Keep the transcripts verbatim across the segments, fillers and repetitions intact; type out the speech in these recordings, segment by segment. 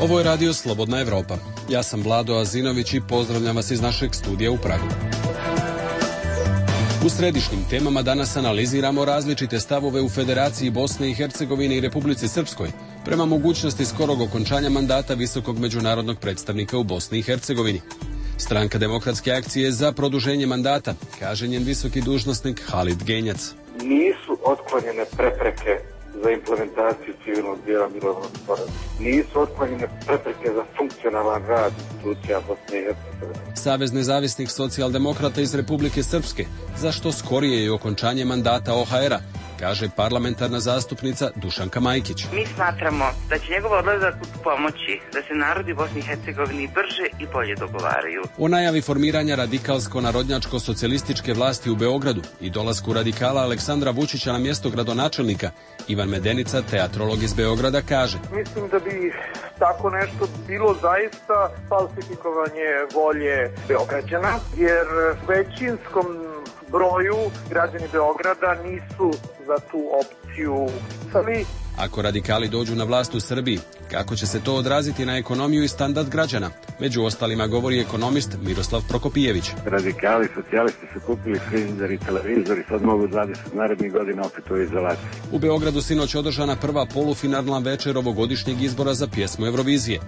Ovo je radio Slobodna Evropa. Ja sam Vlado Azinović i pozdravljam vas iz našeg studija u Pragu. U središnjim temama danas analiziramo različite stavove u Federaciji Bosne i Hercegovine i Republici Srpskoj prema mogućnosti skorog okončanja mandata visokog međunarodnog predstavnika u Bosni i Hercegovini. Stranka Demokratske akcije za produženje mandata, kaže njen visoki dužnosnik Halid Genjac. Nisu otklonjene prepreke za implementaciju civilnog dijela mirovnog sporazuma. Nisu otklonjene prepreke za funkcionalan rad institucija Bosne i Hercegovine. Savez nezavisnih socijaldemokrata iz Republike Srpske, za što skorije i okončanje mandata O H R-a, kaže parlamentarna zastupnica Dušanka Majkić. Mi smatramo da će njegov odlazak pomoći da se narodi Bosni i Hercegovini brže i bolje dogovaraju. O najavi formiranja radikalsko-narodnjačko-socijalističke vlasti u Beogradu i dolasku radikala Aleksandra Vučića na mjesto gradonačelnika, Ivan Medenica, teatrolog iz Beograda, kaže: Mislim da bi tako nešto bilo zaista falsifikovanje volje Beograđana, jer većinskom broju građani Beograda nisu za tu opciju. Sami. Ako radikali dođu na vlast u Srbiji, kako će se to odraziti na ekonomiju i standard građana? Među ostalima govori ekonomist Miroslav Prokopijević. Radikali, socijalisti su kupili frižider i televizor i sad mogu dvadeset narednih godina opet u izolaciji. U Beogradu sinoć održana prva polufinalna večer ovogodišnjeg izbora za pjesmu Eurovizije.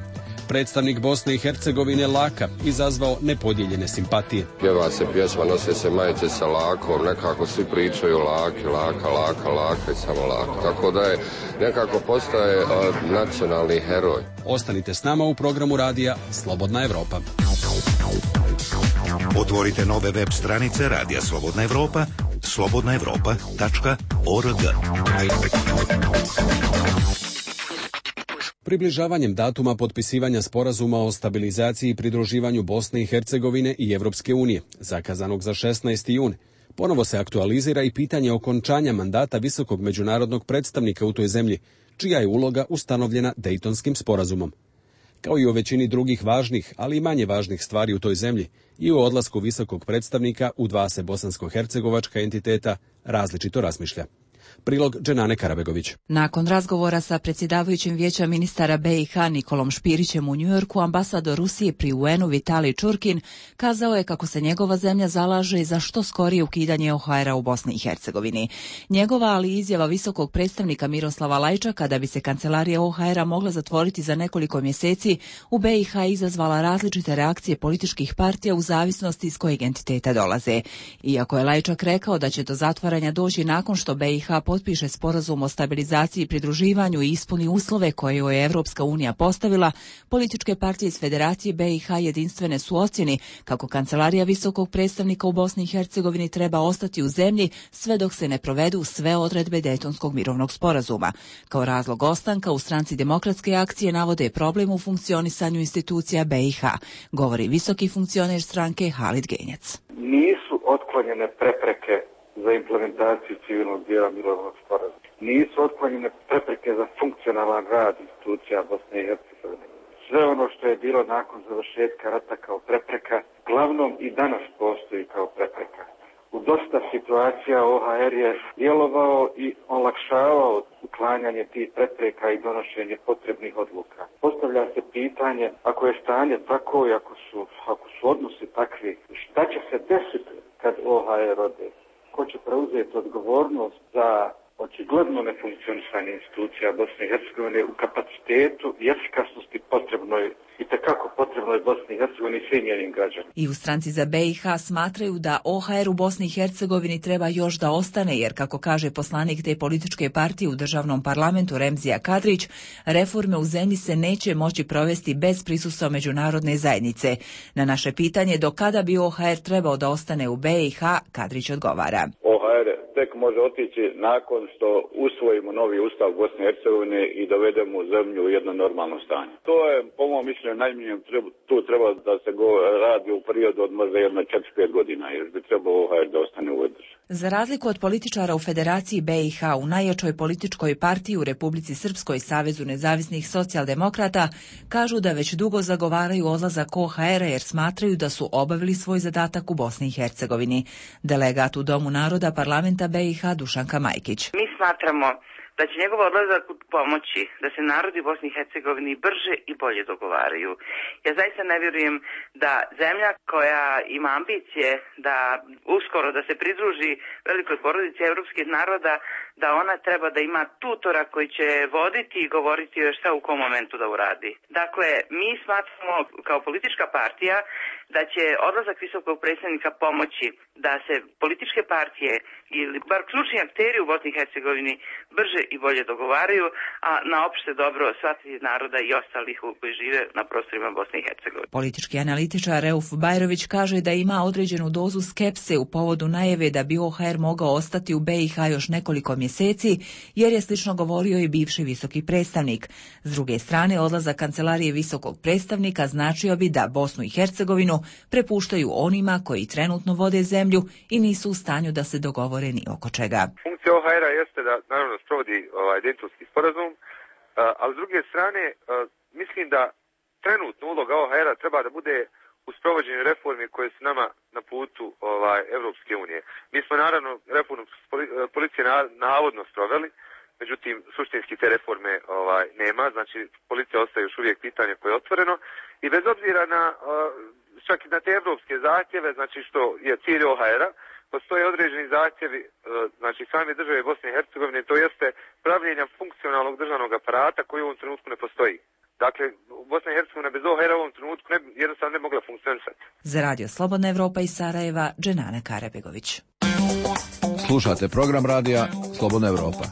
Predstavnik Bosne i Hercegovine Laka izazvao nepodijeljene simpatije. Pjeva se pjesma, nose se majice sa lakom, nekako svi pričaju laki, laka, laka, laka i samo laka. Tako da je nekako postaje uh, nacionalni heroj. Ostanite s nama u programu radija Slobodna Evropa. Otvorite nove web stranice Radija Slobodna Evropa, slobodna evropa tačka org. Približavanjem datuma potpisivanja sporazuma o stabilizaciji i pridruživanju Bosne i Hercegovine i Evropske unije, zakazanog za šesnaesti jun, ponovo se aktualizira i pitanje okončanja mandata visokog međunarodnog predstavnika u toj zemlji, čija je uloga ustanovljena Dejtonskim sporazumom. Kao i o većini drugih važnih, ali i manje važnih stvari u toj zemlji, i o odlasku visokog predstavnika u dva se bosansko-hercegovačka entiteta različito razmišlja. Prilog Dženane Karabegović. Nakon razgovora sa predsjedavajućim vijeća ministara B i H Nikolom Špirićem u Njujorku, ambasador Rusije pri U N-u Vitalij Čurkin kazao je kako se njegova zemlja zalaže za što skorije ukidanje O H R-a u Bosni i Hercegovini. Njegova, ali izjava visokog predstavnika Miroslava Lajčaka da bi se kancelarija O H R-a mogla zatvoriti za nekoliko mjeseci u B i H izazvala različite reakcije političkih partija u zavisnosti iz kojeg entiteta dolaze. Iako je Lajčak rekao da će do zatvaranja doći nakon što B i H potpiše sporazum o stabilizaciji i pridruživanju i ispuni uslove koje je Evropska unija postavila, političke partije iz Federacije B i H jedinstvene su ocjeni kako kancelarija visokog predstavnika u Bosni i Hercegovini treba ostati u zemlji sve dok se ne provedu sve odredbe Dejtonskog mirovnog sporazuma. Kao razlog ostanka u stranci Demokratske akcije navode problem u funkcionisanju institucija B i H, govori visoki funkcioner stranke Halid Genjac. Nisu otklonjene prepreke za implementaciju civilnog dijela mirovnog sporazuma. Nisu otklonjene prepreke za funkcionalan rad institucija Bosne i Hercegovine. Sve ono što je bilo nakon završetka rata kao prepreka, glavnom i danas postoji kao prepreka. U dosta situacija O H R je djelovao i olakšavao uklanjanje tih prepreka i donošenje potrebnih odluka. Postavlja se pitanje, ako je stanje tako i ako su, ako su odnosi takvi, šta će se desiti kad O H R ode? Ko će preuzeti odgovornost za očigledno nefunkcionisanje institucija Bosne i Hercegovine u kapacitetu i efikasnosti potrebnoj i tekako potrebnoj Bosni i Hercegovini i svim njenim građanima. I u stranci za B i H smatraju da O H R u Bosni i Hercegovini treba još da ostane, jer kako kaže poslanik te političke partije u državnom parlamentu Remzija Kadrić, reforme u zemlji se neće moći provesti bez prisustva međunarodne zajednice. Na naše pitanje do kada bi O H R trebao da ostane u B i H, Kadrić odgovara. O H R tek može otići nakon što usvojimo novi ustav Bosne i Hercegovine i dovedemo zemlju u jedno normalno stanje. To je, po mom mišljenju, najmanje tu treba da se go radi u periodu od možda jedno četiri pet godina, jer bi trebao O H R da ostane u ovoj državi. Za razliku od političara u Federaciji B i H, u najjačoj političkoj partiji u Republici Srpskoj, Savezu nezavisnih socijaldemokrata, kažu da već dugo zagovaraju odlazak O H R-a jer smatraju da su obavili svoj zadatak u Bosni i Hercegovini. Delegat u Domu naroda parlamenta B i H Dušanka Majkić. Mi smatramo da će njegov odlazak pomoći da se narodi u Bosni i Hercegovini brže i bolje dogovaraju. Ja zaista ne vjerujem da zemlja koja ima ambicije da uskoro da se pridruži velikoj porodici evropskih naroda, da ona treba da ima tutora koji će voditi i govoriti još šta u kom momentu da uradi. Dakle, mi smatramo kao politička partija da će odlazak visokog predstavnika pomoći da se političke partije ili bar ključni akteri u Bosni i Hercegovini brže i bolje dogovaraju, a na opšte dobro svih naroda i ostalih koji žive na prostorima Bosne i Hercegovine. Politički analitičar Reuf Bajrović kaže da ima određenu dozu skepse u povodu najave da bi O H R mogao ostati u B i H još nekoliko mjeseci, jer je slično govorio i bivši visoki predstavnik. S druge strane, odlazak kancelarije visokog predstavnika značio bi da Bosnu i Hercegovinu prepuštaju onima koji trenutno vode zemlju i nisu u stanju da se dogovore ni oko čega. Funkcija O H R-a jeste da naravno sprovodi ovaj Daytonski sporazum, ali s druge strane mislim da trenutno uloga O H R-a treba da bude u sprovođenju reformi koje su nama na putu ovaj, Evropske unije. Mi smo naravno reformu policije navodno sproveli, međutim suštinski te reforme ovaj, nema, znači policija ostaje još uvijek pitanje koje je otvoreno i bez obzira na čak i na te evropske zahtjeve, znači što je cilj O H R-a, postoje određeni zahtjevi, znači same države Bosne i Hercegovine, to jeste pravljenja funkcionalnog državnog aparata koji u ovom trenutku ne postoji. Dakle, Bosna i Hercegovina bez O H R-a u ovom trenutku ne, jednostavno ne mogla funkcionisati. Za Radio Slobodna Evropa iz Sarajeva, Dženana Karabegović. Slušate program radija Slobodna Evropa.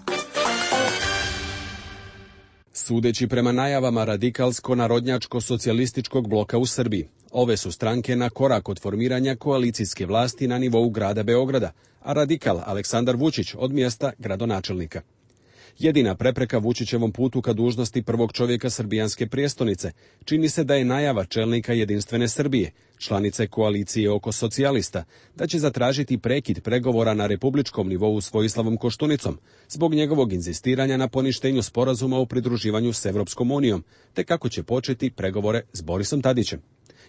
Sudeći prema najavama radikalsko-narodnjačko-socijalističkog bloka u Srbiji, ove su stranke na korak od formiranja koalicijske vlasti na nivou grada Beograda, a radikal Aleksandar Vučić od mjesta gradonačelnika. Jedina prepreka Vučićevom putu ka dužnosti prvog čovjeka srbijanske prijestolnice čini se da je najava čelnika Jedinstvene Srbije, članice koalicije oko socijalista, da će zatražiti prekid pregovora na republičkom nivou s Vojislavom Koštunicom zbog njegovog inzistiranja na poništenju sporazuma o pridruživanju s Evropskom unijom, te kako će početi pregovore s Borisom Tadićem.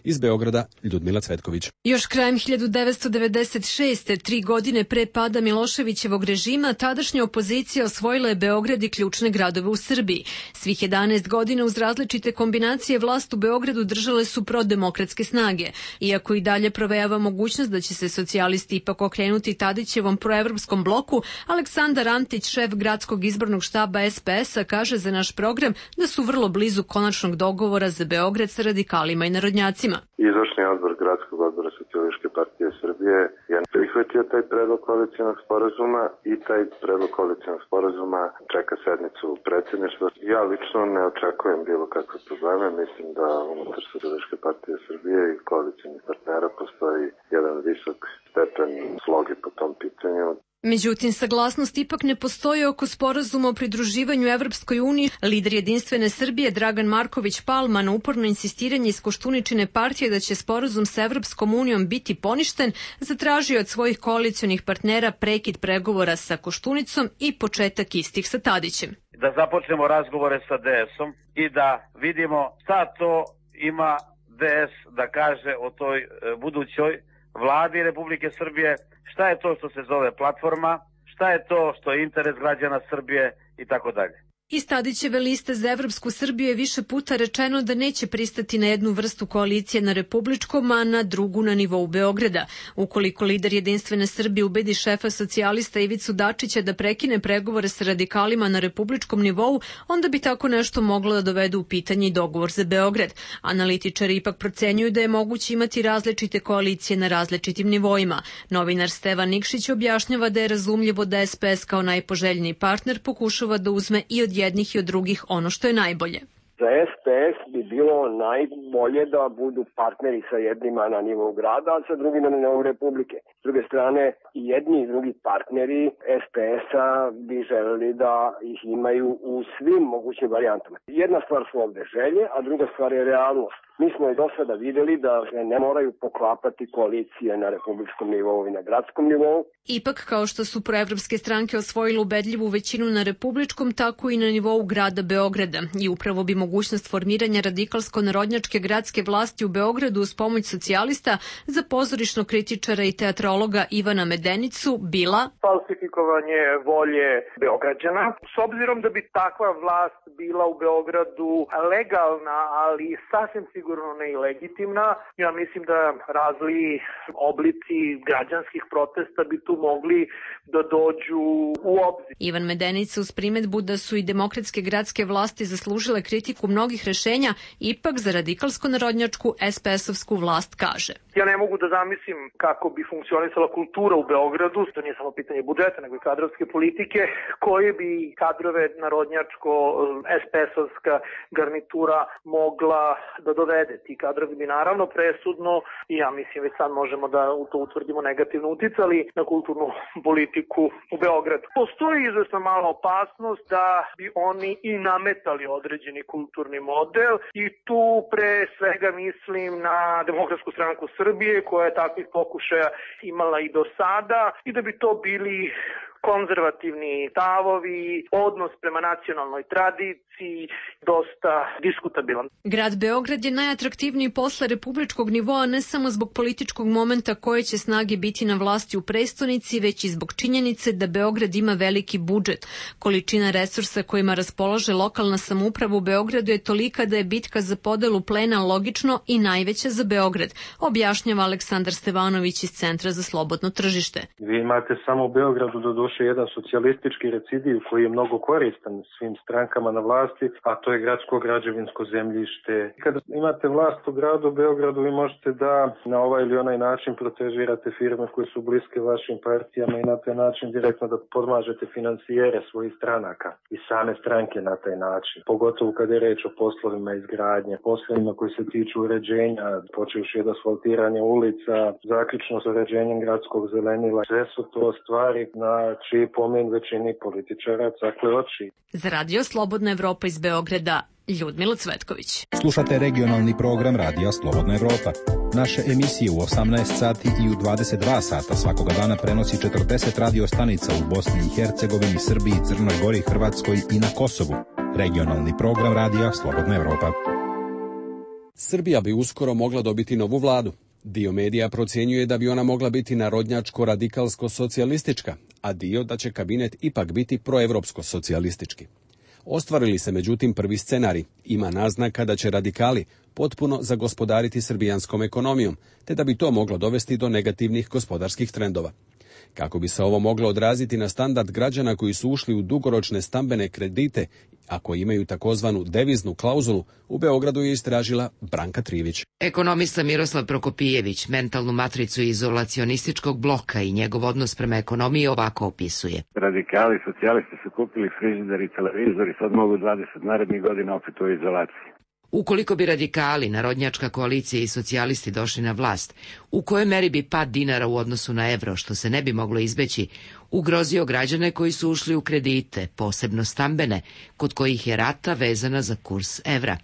Iz Beograda, Ljudmila Cvetković. Još krajem hiljadu devetsto devedeset šeste. tri godine pre pada Miloševićevog režima, tadašnja opozicija osvojila je Beograd i ključne gradove u Srbiji. Svih jedanaest godina uz različite kombinacije vlast u Beogradu držale su prodemokratske snage. Iako i dalje provejava mogućnost da će se socijalisti ipak okrenuti Tadićevom proevropskom bloku, Aleksandar Antić, šef gradskog izbornog štaba S P S-a, kaže za naš program da su vrlo blizu konačnog dogovora za Beograd sa radikalima i narodnjacima. Izvršni odbor Gradskog odbora Socijalističke partije Srbije je prihvatio taj predlog koalicionog sporazuma i taj predlog koalicionog sporazuma čeka sednicu predsjedništva. Ja lično ne očekujem bilo kakve probleme. Mislim da unutar Socijalističke partije Srbije i koalicionih partnera postoji jedan visok stepen sloge po tom pitanju. Međutim, saglasnost ipak ne postoji oko sporazuma o pridruživanju Evropskoj uniji. Lider Jedinstvene Srbije Dragan Marković Palma na uporno insistiranje iz Koštuničine partije da će sporazum sa Evropskom unijom biti poništen, zatražio od svojih koalicionih partnera prekid pregovora sa Koštunicom i početak istih sa Tadićem. Da započnemo razgovore sa D S-om i da vidimo šta to ima D S da kaže o toj budućoj vladi Republike Srbije, šta je to što se zove platforma, šta je to što je interes građana Srbije i tako dalje. Iz Tadićeve liste za Evropsku Srbiju je više puta rečeno da neće pristati na jednu vrstu koalicije na republičkom, a na drugu na nivou Beograda. Ukoliko lider Jedinstvene Srbije ubedi šefa socijalista Ivicu Dačića da prekine pregovore sa radikalima na republičkom nivou, onda bi tako nešto moglo da dovede u pitanje i dogovor za Beograd. Analitičari ipak procenjuju da je moguće imati različite koalicije na različitim nivoima. Novinar Stevan Nikšić objašnjava da je razumljivo da S P S kao najpoželjniji partner pokušava da uzme i od jednih i od drugih ono što je najbolje. Za S P S bi bilo najbolje da budu partneri sa jednima na nivou grada, a sa drugima na nivou republike. S druge strane, i jedni i drugi partneri S P S-a bi želeli da ih imaju u svim mogućim varijantama. Jedna stvar su ovde želje, a druga stvar je realnost. Mi smo i do sada videli da ne moraju poklapati koalicije na republičkom nivou i na gradskom nivou. Ipak, kao što su proevropske stranke osvojile ubedljivu većinu na republičkom, tako i na nivou grada Beograda. I upravo bi mogućnost formiranja radikalsko-narodnjačke gradske vlasti u Beogradu uz pomoć socijalista za pozorišnog kritičara i teatrologa Ivana Medenicu bila falsifikovanje volje Beograđana. S obzirom da bi takva vlast bila u Beogradu legalna, ali sasvim sigurno ne i legitimna, ja mislim da razli oblici građanskih protesta bi tu mogli da dođu u obzir. Ivan Medenica uz primetbu da su i demokratske gradske vlasti zaslužile kritiku mnogih rešenja, ipak za radikalsko-narodnjačku es pe es-ovsku vlast kaže. Ja ne mogu da zamislim kako bi funkcionisala kultura u Beogradu, to nije samo pitanje budžeta, nego i kadrovske politike, koje bi kadrove narodnjačko-es pe es-ovska garnitura mogla da dovede. Ti kadrovi bi naravno presudno, i ja mislim već sad možemo da to utvrdimo, negativno uticali na kulturnu politiku u Beogradu. Postoji izvesna mala opasnost da bi oni i nametali određeni kulturni model i tu pre svega mislim na Demokratsku stranku Srbije koja je takvih pokušaja imala i do sada i da bi to bili konzervativni stavovi, odnos prema nacionalnoj tradiciji, dosta diskutabilan. Grad Beograd je najatraktivniji posle republičkog nivoa ne samo zbog političkog momenta koje će snage biti na vlasti u prestonici, već i zbog činjenice da Beograd ima veliki budžet. Količina resursa kojima raspolaže lokalna samouprava u Beogradu je tolika da je bitka za podelu plena logično i najveća za Beograd, objašnjava Aleksandar Stevanović iz Centra za slobodno tržište. Vi imate samo u Beogradu do duše jedan socijalistički recidiv koji je mnogo koristan svim strankama na vlasti, a to je gradsko građevinsko zemljište. Kada imate vlast u gradu Beogradu, vi možete da na ovaj ili onaj način protežirate firme koje su bliske vašim partijama i na taj način direktno da podmažete financijere svojih stranaka i same stranke na taj način. Pogotovo kada je reč o poslovima izgradnje, poslovima koji se tiču uređenja, počevši od asfaltiranja ulica, zaključno s uređenjem gradskog zelenila. Sve su to stvari na čiji pomen većini političara cakle oči. Za Radio Slobodna Evropa iz Beograda, Ljudmila Cvetković. Slušate regionalni program Radija Slobodna Evropa. Naše emisije u osamnaest sati i u dvadeset dva sata svakoga dana prenosi četrdeset radio stanica u Bosni i Hercegovini, Srbiji, Crnoj Gori, Hrvatskoj i na Kosovu. Regionalni program Radija Slobodna Evropa. Srbija bi uskoro mogla dobiti novu vladu. Dio medija procjenjuje da bi ona mogla biti narodnjačko-radikalsko-socijalistička, a dio da će kabinet ipak biti proevropsko-socijalistički. Ostvarili se međutim prvi scenarij. Ima naznaka da će radikali potpuno zagospodariti srbijanskom ekonomijom, te da bi to moglo dovesti do negativnih gospodarskih trendova. Kako bi se ovo moglo odraziti na standard građana koji su ušli u dugoročne stambene kredite, a koji imaju takozvanu deviznu klauzulu, u Beogradu je istražila Branka Trivić. Ekonomista Miroslav Prokopijević mentalnu matricu izolacionističkog bloka i njegov odnos prema ekonomiji ovako opisuje. Radikali, socijalisti su kupili frižider i televizor i sad mogu dvadeset narednih godina opet u izolaciji. Ukoliko bi radikali, narodnjačka koalicija i socijalisti došli na vlast, u kojoj meri bi pad dinara u odnosu na evro, što se ne bi moglo izbeći, ugrozio građane koji su ušli u kredite, posebno stambene, kod kojih je rata vezana za kurs evra?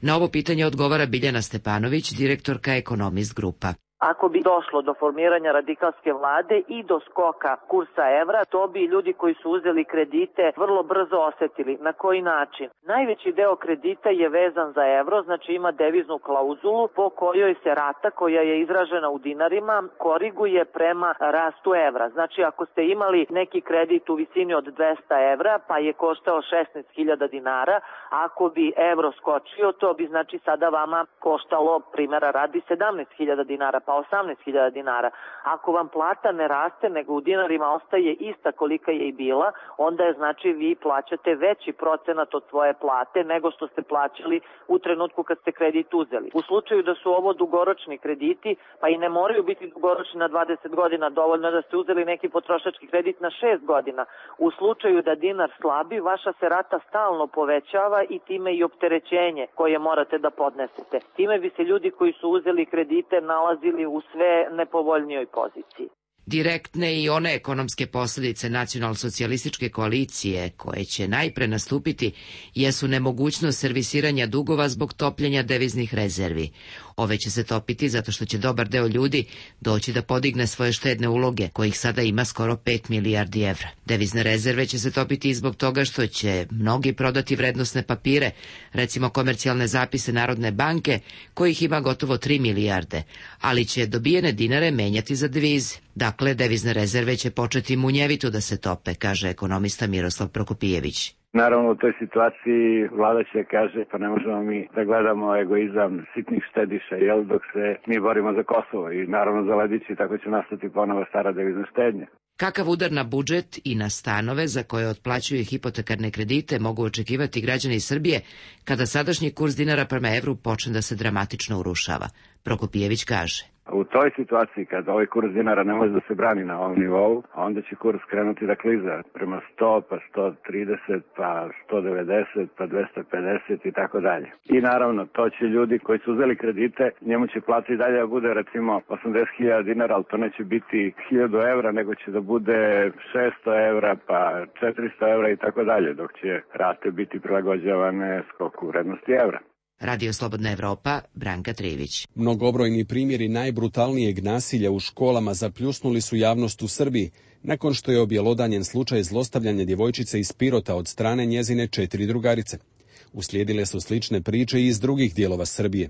Na ovo pitanje odgovara Biljana Stepanović, direktorka Ekonomist Grupa. Ako bi došlo do formiranja radikalske vlade i do skoka kursa evra, to bi ljudi koji su uzeli kredite vrlo brzo osetili. Na koji način? Najveći deo kredita je vezan za evro, znači ima deviznu klauzulu po kojoj se rata koja je izražena u dinarima koriguje prema rastu evra. Znači ako ste imali neki kredit u visini od dvesta evra pa je koštao šesnaest hiljada dinara, ako bi evro skočio to bi znači sada vama koštalo, primjera radi, sedamnaest hiljada dinara, pa osamnaest hiljada dinara. Ako vam plata ne raste, nego u dinarima ostaje ista kolika je i bila, onda je znači vi plaćate veći procenat od svoje plate nego što ste plaćali u trenutku kad ste kredit uzeli. U slučaju da su ovo dugoročni krediti, pa i ne moraju biti dugoročni na dvadeset godina, dovoljno da ste uzeli neki potrošački kredit na šest godina. U slučaju da dinar slabi, vaša se rata stalno povećava i time i opterećenje koje morate da podnesete. Time bi se ljudi koji su uzeli kredite nalazili u sve nepovoljnijoj poziciji. Direktne i one ekonomske posljedice nacionalsocijalističke koalicije koje će najpre nastupiti jesu nemogućnost servisiranja dugova zbog topljenja deviznih rezervi. Ove će se topiti zato što će dobar deo ljudi doći da podigne svoje štedne uloge, kojih sada ima skoro pet milijardi evra. Devizne rezerve će se topiti i zbog toga što će mnogi prodati vrednosne papire, recimo komercijalne zapise Narodne banke, kojih ima gotovo tri milijarde, ali će dobijene dinare menjati za devize. Dakle, devizne rezerve će početi munjevito da se tope, kaže ekonomista Miroslav Prokopijević. Naravno, u toj situaciji vlada će kaže pa ne možemo mi da gledamo egoizam sitnih štediša, jel, dok se mi borimo za Kosovo i naravno za ledići, tako će nastati ponovo stara devizna štednja. Kakav udar na budžet i na stanove za koje otplaćuju hipotekarne kredite mogu očekivati građani Srbije kada sadašnji kurs dinara prema evru počne da se dramatično urušava? Prokopijević kaže. U toj situaciji, kada ovaj kurs dinara ne može da se brani na ovom nivou, onda će kurs krenuti da kliza prema sto, pa sto trideset, pa sto devedeset, pa dvesta pedeset i tako dalje. I naravno, to će ljudi koji su uzeli kredite, njemu će plata i dalje da bude recimo osamdeset hiljada dinara, ali to neće biti hiljadu evra, nego će da bude šesto evra, pa četiristo evra i tako dalje, dok će rate biti prilagođavane skoku vrednosti evra. Radio Slobodna Evropa, Branka Trivić. Mnogobrojni primjeri najbrutalnijeg nasilja u školama zapljusnuli su javnost u Srbiji, nakon što je objelodanjen slučaj zlostavljanja djevojčice iz Pirota od strane njezine četiri drugarice. Uslijedile su slične priče i iz drugih dijelova Srbije.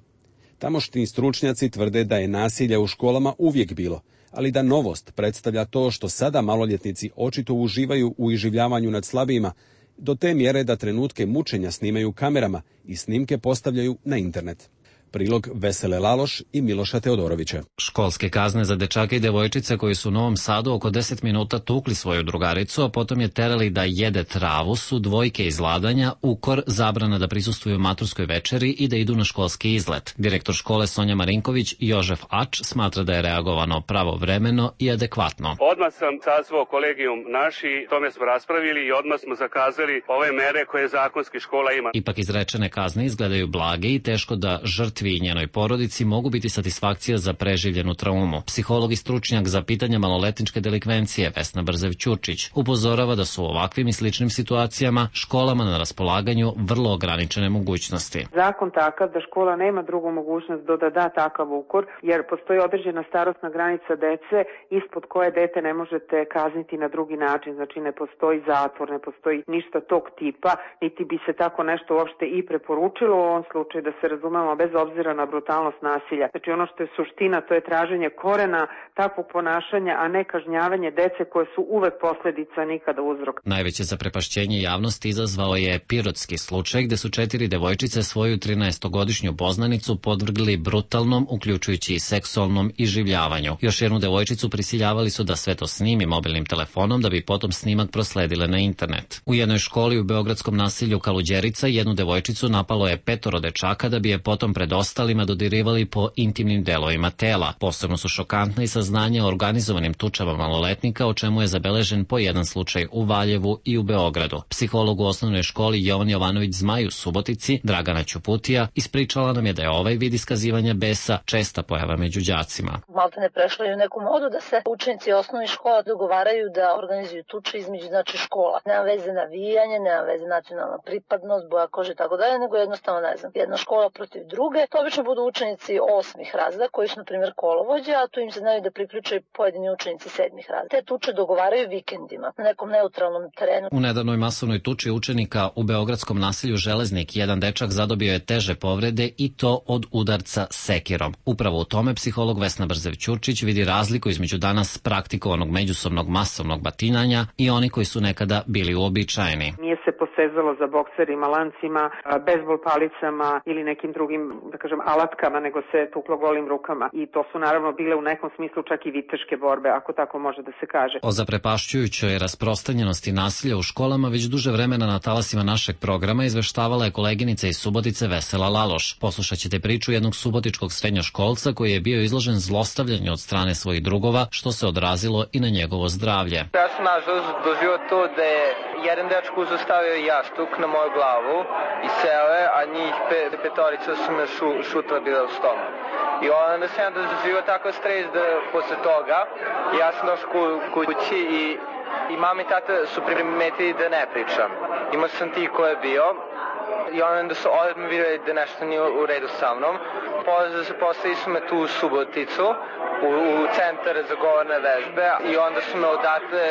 Tamošnji stručnjaci tvrde da je nasilja u školama uvijek bilo, ali da novost predstavlja to što sada maloljetnici očito uživaju u iživljavanju nad slabijima, do te mjere da trenutke mučenja snimaju kamerama i snimke postavljaju na internet. Prilog Vesele Laloš i Miloša Teodorovića. Školske kazne za dečake i devojčice koji su u Novom Sadu oko deset minuta tukli svoju drugaricu, a potom je terali da jede travu, su dvojke izladanja, ukor, zabrana da prisustvuju maturskoj večeri i da idu na školski izlet. Direktor škole Sonja Marinković Jožef Ač smatra da je reagovano pravovremeno i adekvatno. Odmah sam sazvao kolegijum naši, tome smo raspravili i odmah smo zakazali ove mere koje zakonski škola ima. Ipak izrečene kazne izgledaju blage i teško da žrtvi i njenoj porodici mogu biti satisfakcija za preživljenu traumu. Psiholog i stručnjak za pitanja maloletničke delikvencije Vesna Brzev-Ćurčić upozorava da su u ovakvim i sličnim situacijama školama na raspolaganju vrlo ograničene mogućnosti. Zakon takav da škola nema drugu mogućnost do da da takav ukor, jer postoji određena starosna granica dece ispod koje dete ne možete kazniti na drugi način. Znači ne postoji zatvor, ne postoji ništa tog tipa, niti bi se tako nešto uopšte i preporučilo u ovom slučaju, da se razumemo, bez obzira na brutalnost nasilja. Znači ono što je suština, to je traženje korena takvog ponašanja, a ne kažnjavanje dece koje su uvek posljedica, nikada uzrok. Najveće zaprepašćenje javnosti izazvao je pirotski slučaj gde su četiri devojčice svoju trinaestogodišnju poznanicu podvrgli brutalnom, uključujući i seksualnom iživljavanju. Još jednu devojčicu prisiljavali su da sve to snimi mobilnim telefonom da bi potom snimak prosledile na internet. U jednoj školi u beogradskom naselju Kaluđerica jednu devojčicu napalo je petoro dečaka da bi je potom pred ostalima dodirivali po intimnim delovima tela. Posebno su šokantna i saznanja o organizovanim tučama maloletnika, o čemu je zabeležen po jedan slučaj u Valjevu i u Beogradu. Psiholog u osnovnoj školi Jovan Jovanović Zmaj u Subotici, Dragana Ćuputija, ispričala nam je da je ovaj vid iskazivanja besa česta pojava među đacima. Malte ne prešlo je u neku modu da se učenici osnovnih škola dogovaraju da organizuju tuče između znači škola. Nema veze navijanje, nema veze nacionalna pripadnost, boja kože i tako dalje, nego jednostavno ne znam. Jedna škola protiv druge. To obično budu učenici osmih razreda koji su na primjer kolovođe, a tu im se znaju da priključaju pojedini učenici sedmih razreda. Te tuče dogovaraju vikendima na nekom neutralnom terenu. U nedavnoj masovnoj tuči učenika u beogradskom naselju Železnik jedan dečak zadobio je teže povrede i to od udarca sekirom. Upravo u tome psiholog Vesna Brzev-Ćurčić vidi razliku između danas praktikovanog međusobnog masovnog batinanja i oni koji su nekada bili uobičajeni. Nije se posezalo za bokserima, lancima, bejzbol palicama ili nekim drugim, da kažem, alatkama, nego se tuklo golim rukama. I to su naravno bile u nekom smislu čak i viteške borbe, ako tako može da se kaže. O zaprepašćujućoj rasprostranjenosti nasilja u školama već duže vremena na talasima našeg programa izveštavala je koleginica iz Subotice Vesela Laloš. Poslušat ćete priču jednog subotičkog srednjoškolca koji je bio izložen zlostavljanju od strane svojih drugova, što se odrazilo i na njegovo zdravlje. Ja sam nažalost doživio to da je jedan dečko uzostavio jastuk na moju glavu i seo je, a njih pe, petorica su me šu, šutla bila u stomak. I onda sam ja doživio tako stres da posle toga ja sam došao kući i, i mama i tata su primetili da ne pričam. Imao sam ti ko je bio i onda su odmah vidjeli da nešto nije u redu sa mnom. Poslali su me tu u Suboticu, u, u centar za govorne vežbe i onda su me odatle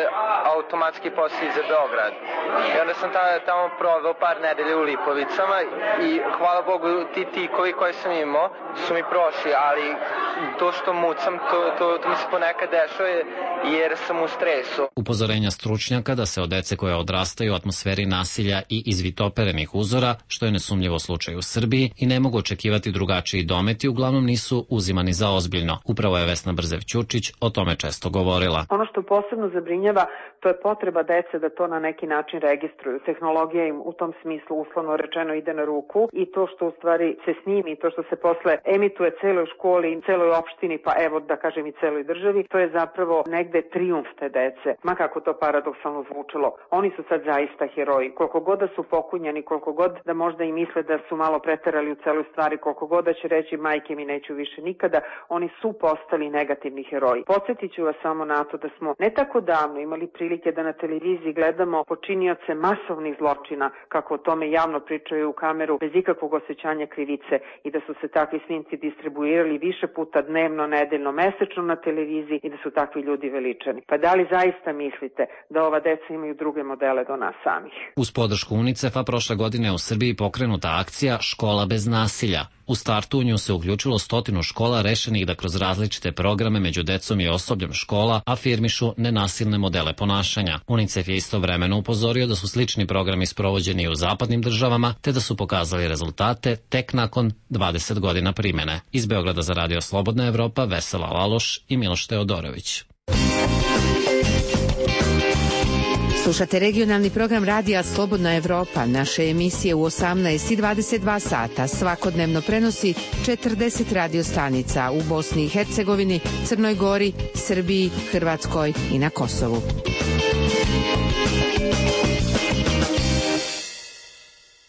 automatski poslali za Beograd. I onda sam tamo, tamo proveo par nedelje u Lipovicama i hvala Bogu ti tikovi koje sam imao su mi prošli, ali to što mucam, to, to, to mi se ponekad dešava jer sam u stresu. Upozorenja stručnjaka da se od dece koje odrastaju u atmosferi nasilja i izvitoperenih uzora, što je nesumnjivo slučaj u Srbiji, i ne mogu očekivati drugačiji dometi, uglavnom nisu uzimani za ozbiljno. Upravo je Vesna Brzev-Ćučić o tome često govorila. Ono što posebno zabrinjava, to je potreba dece da to na neki način registruju. Tehnologija im u tom smislu uslovno rečeno ide na ruku i to što u stvari se snimi, to što se posle emituje celoj školi i celoj opštini, pa evo da kažem i celoj državi, to je zapravo negde trijumf te dece. Ma kako to paradoksalno zvučilo. Oni su sad zaista heroji. Koliko god da su pokunjani, koliko god da možda i misle da su malo preterali u celoj stvari, koliko god da će reći majke mi neću više nikada, oni su postali negativni heroji. Podsjetit ću vas samo na to da smo ne tako davno imali prilike da na televiziji gledamo počinioce masovnih zločina, kako o tome javno pričaju u kameru, bez ikakvog osjećanja krivice i da su se takvi snimci distribuirali više puta dnevno, nedeljno, mesečno na televiziji i da su takvi ljudi veličani. Pa da li zaista mislite da ova deca imaju druge modele do nas samih? Uz podršku UNICEF-a prošle godine u Srbiji pokrenuta akcija Škola bez nasilja. U startu u nju se uključilo stotinu škola rešenih da kroz različite programe među decom i osobljem škola afirmišu nenasilne modele ponašanja. UNICEF je istovremeno upozorio da su slični programi sprovođeni u zapadnim državama, te da su pokazali rezultate tek nakon dvadeset godina primene. Iz Beograda za Radio Slobodna Evropa, Vesela Laloš i Miloš Teodorović. Slušate regionalni program Radija Slobodna Evropa. Naše emisije u osamnaest i dvadeset dva sata svakodnevno prenosi četrdeset radio stanica u Bosni i Hercegovini, Crnoj Gori, Srbiji, Hrvatskoj i na Kosovu.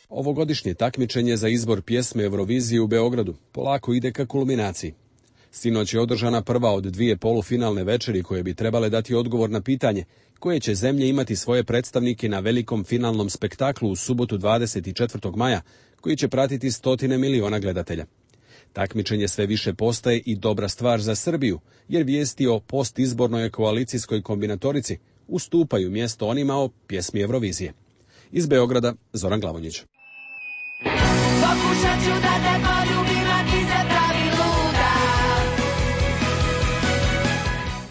Ovogodišnje takmičenje za izbor pjesme Eurovizije u Beogradu polako ide ka kulminaciji. Sinoć je održana prva od dvije polufinalne večeri koje bi trebale dati odgovor na pitanje koje će zemlje imati svoje predstavnike na velikom finalnom spektaklu u subotu dvadeset četvrtog maja, koji će pratiti stotine miliona gledatelja. Takmičenje sve više postaje i dobra stvar za Srbiju, jer vijesti o postizbornoj koalicijskoj kombinatorici ustupaju mjesto onima o pjesmi Eurovizije. Iz Beograda, Zoran Glavonjić. Pokušat ću da te poljubim, a ti se pravi luda.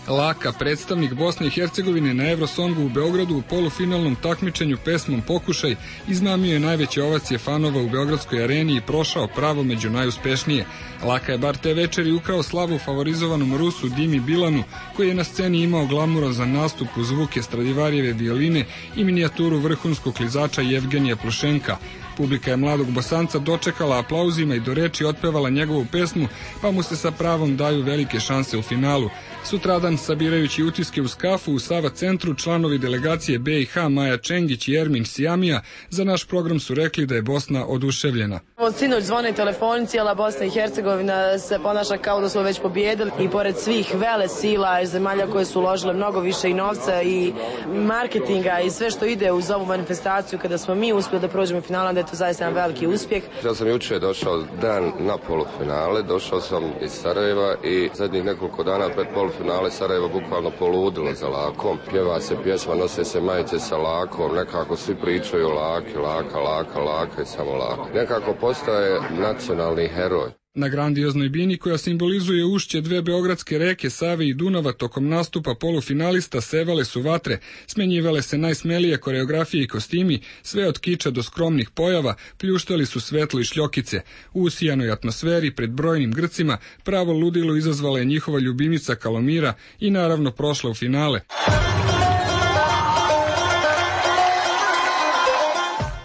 Laka, predstavnik Bosne i Hercegovine na Eurosongu u Beogradu u polufinalnom takmičenju pesmom Pokušaj, izmamio je najveće ovacije fanova u Beogradskoj areni i prošao pravo među najuspešnije. Laka je bar te večeri ukrao slavu favorizovanom Rusu Dimi Bilanu, koji je na sceni imao glamurozan nastup uz zvuke Stradivarijeve violine i minijaturu vrhunskog klizača Jevgenija Plušenka. Publika je mladog Bosanca dočekala aplauzima i do reči otpevala njegovu pesmu, pa mu se sa pravom daju velike šanse u finalu. Sutradan, sabirajući utiske uz kafu u Sava centru, članovi delegacije be i ha Maja Čengić i Ermin Sijamija za naš program su rekli da je Bosna oduševljena. Od sinoć zvone telefoni, cijela Bosna i Hercegovina se ponaša kao da smo već pobjedili i pored svih vele sila i zemalja koje su uložile mnogo više i novca i marketinga i sve što ide uz ovu manifestaciju, kada smo mi uspjeli da prođemo finala, da je to zaista jedan veliki uspjeh. Ja sam juče došao dan na polufinale, došao sam iz Sarajeva i zadnjih nekoliko dana pred polufinale Sarajevo bukvalno poludilo za Lakom. Pjeva se pjesma, nose se majice sa Lakom, nekako svi pričaju laki, laka, laka, laka i samo laka. Nekako postaje nacionalni heroj. Na grandioznoj bini koja simbolizuje ušće dve beogradske reke Save i Dunava tokom nastupa polufinalista sevale su vatre, smenjivale se najsmelije koreografije i kostimi, sve od kiča do skromnih pojava, pljuštali su svetlo i šljokice. U usijanoj atmosferi pred brojnim Grcima pravo ludilo izazvala je njihova ljubimica Kalomira i naravno prošla u finale.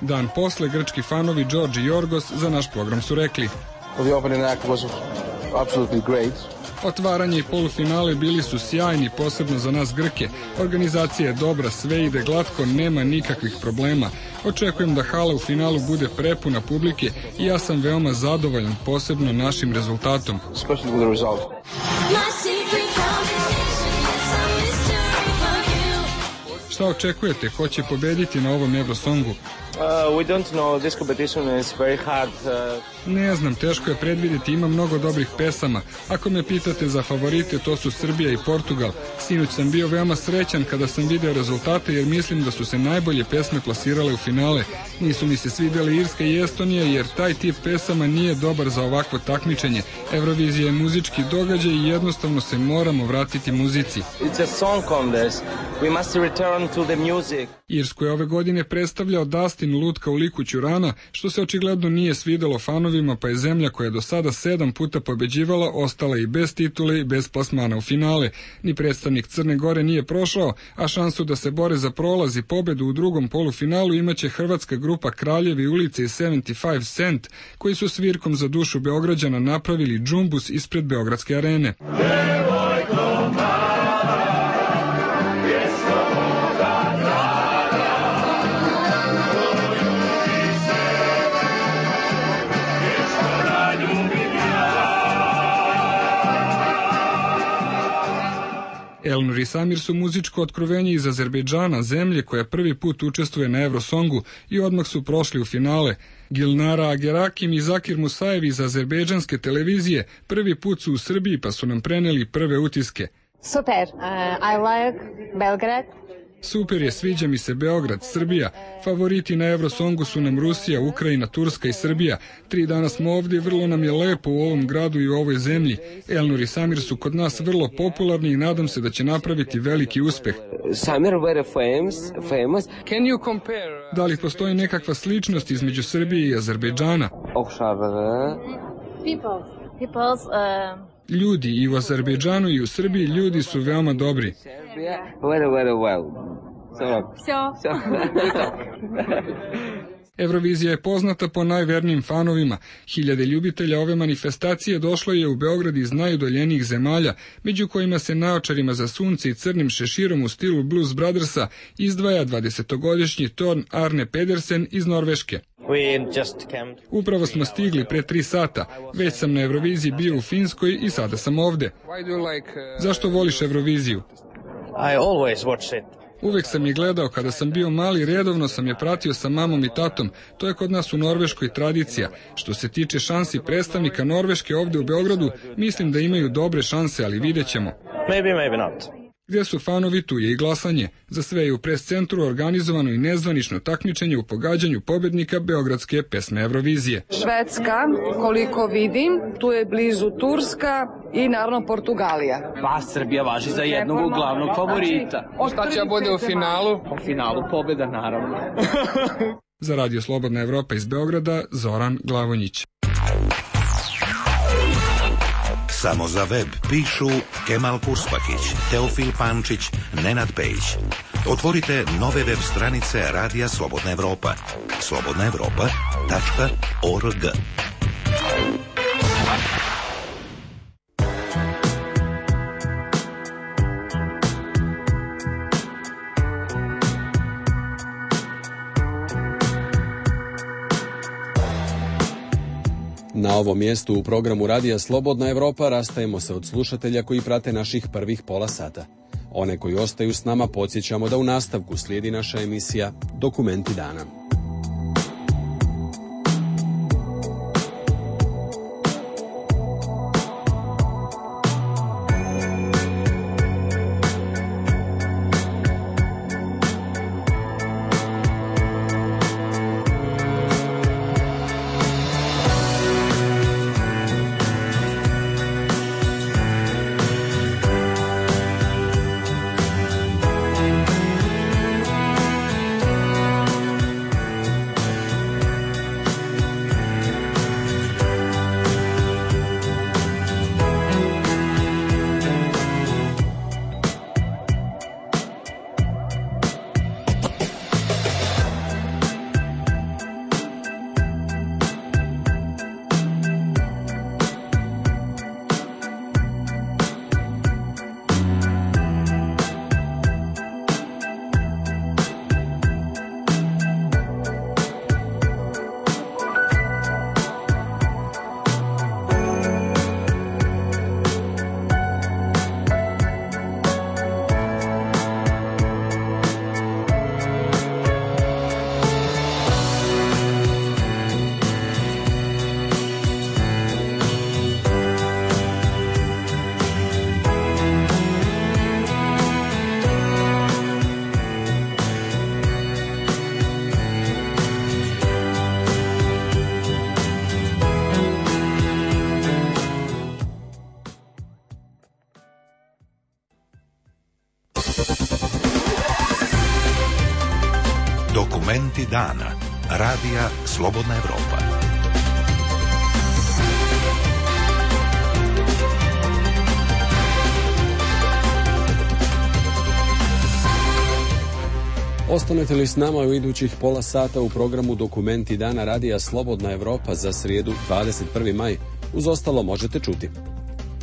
Dan posle grčki fanovi George i Jorgos za naš program su rekli: Well, the opening act was absolutely great. Otvaranje i polufinale bili su sjajni, posebno za nas Grke. Organizacija je dobra, sve ide glatko, nema nikakvih problema. Očekujem da hala u finalu bude prepuna publike i ja sam veoma zadovoljan, posebno našim rezultatom. Šta očekujete? Ko će pobediti na ovom Eurosongu? Uh, we don't know. This competition is very hard. Uh... Ne znam, teško je predvidjeti, ima mnogo dobrih pesama. Ako me pitate za favorite, to su Srbija i Portugal. Sinoć sam bio veoma srećan kada sam video rezultate jer mislim da su se najbolje pesme plasirale u finale. Nisu mi se svidjeli Irska i Estonija jer taj tip pesama nije dobar za ovakvo takmičenje. Eurovizija je muzički događaj i jednostavno se moramo vratiti muzici. It's a song contest. We must return to the music. Irsku je ove godine predstavljao Dustin Lutka u liku Ćurana, što se očigledno nije svidelo fanovima, pa je zemlja koja je do sada sedam puta pobeđivala ostala i bez titule i bez plasmana u finale. Ni predstavnik Crne Gore nije prošao, a šansu da se bore za prolaz i pobedu u drugom polufinalu imaće hrvatska grupa Kraljevi ulice i sedamdeset pet Cent, koji su svirkom za dušu Beograđana napravili džumbus ispred Beogradske arene. Elnur i Samir su muzičko otkrovenje iz Azerbejdžana, zemlje koja prvi put učestvuje na Eurosongu i odmah su prošli u finale. Gilnara Agerakim i Zakir Musajev iz azerbejdžanske televizije prvi put su u Srbiji pa su nam preneli prve utiske. Super, uh, I like Belgrade. Super je, sviđa mi se Beograd, Srbija. Favoriti na Eurosongu su nam Rusija, Ukrajina, Turska i Srbija. Tri dana smo ovdje i vrlo nam je lepo u ovom gradu i u ovoj zemlji. Elnur i Samir su kod nas vrlo popularni i nadam se da će napraviti veliki uspeh. Samir very famous, famous. Can you compare? Da li postoji nekakva sličnost između Srbije i Azerbejdžana? People, people's, uh... Ljudi i u Azerbejdžanu i u Srbiji ljudi su veoma dobri. Very, very well. So, Eurovizija je poznata po najvernijim fanovima. Hiljade ljubitelja ove manifestacije došlo je u Beograd iz najudaljenijih zemalja, među kojima se naočarima za sunce i crnim šeširom u stilu Blues Brothersa izdvaja dvadesetogodišnji Torn Arne Pedersen iz Norveške. Upravo smo stigli pre tri sata. Već sam na Euroviziji bio u Finskoj i sada sam ovde. Zašto voliš Euroviziju? I always watch it. Uvek sam je gledao, kada sam bio mali, redovno sam je pratio sa mamom i tatom. To je kod nas u Norveškoj tradicija. Što se tiče šansi predstavnika Norveške ovde u Beogradu, mislim da imaju dobre šanse, ali vidjet ćemo. Maybe, maybe not. Gdje su fanovi, tu je i glasanje. Za sve je u pres-centru organizovano i nezvanično takmičenje u pogađanju pobednika beogradske pesme Eurovizije. Švedska, koliko vidim, tu je blizu Turska i naravno Portugalija. Pa Srbija važi za jednog glavnog favorita. Šta će bude u finalu? U finalu pobeda, naravno. Za Radio Slobodna Evropa iz Beograda, Zoran Glavonjić. Samo za web pišu Kemal Purspakić, Teofil Pančić, Nenad Pejić. Otvorite nove web stranice Radija Slobodna Evropa. slobodna evropa tačka org. Na ovom mjestu u programu Radija Slobodna Evropa rastajemo se od slušatelja koji prate naših prvih pola sata. One koji ostaju s nama podsjećamo da u nastavku slijedi naša emisija Dokumenti dana. Dokumenti dana. Radija Slobodna Evropa. Ostanete li s nama u idućih pola sata u programu Dokumenti dana Radija Slobodna Evropa za srijedu dvadeset prvi maj, uz ostalo možete čuti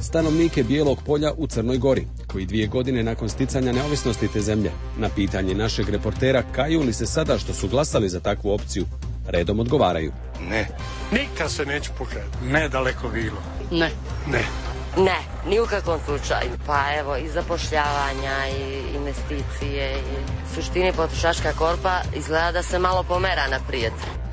stanovnike Bijelog polja u Crnoj Gori, koji dvije godine nakon sticanja neovisnosti te zemlje, na pitanje našeg reportera kaju li se sada što su glasali za takvu opciju, redom odgovaraju. Ne. Nikad se neću pokajati. Ne daleko bilo. Ne. Ne. Ne, ni u kakvom slučaju. Pa evo, i zapošljavanja, i investicije, i suštini potrošačka korpa izgleda da se malo pomera naprijed.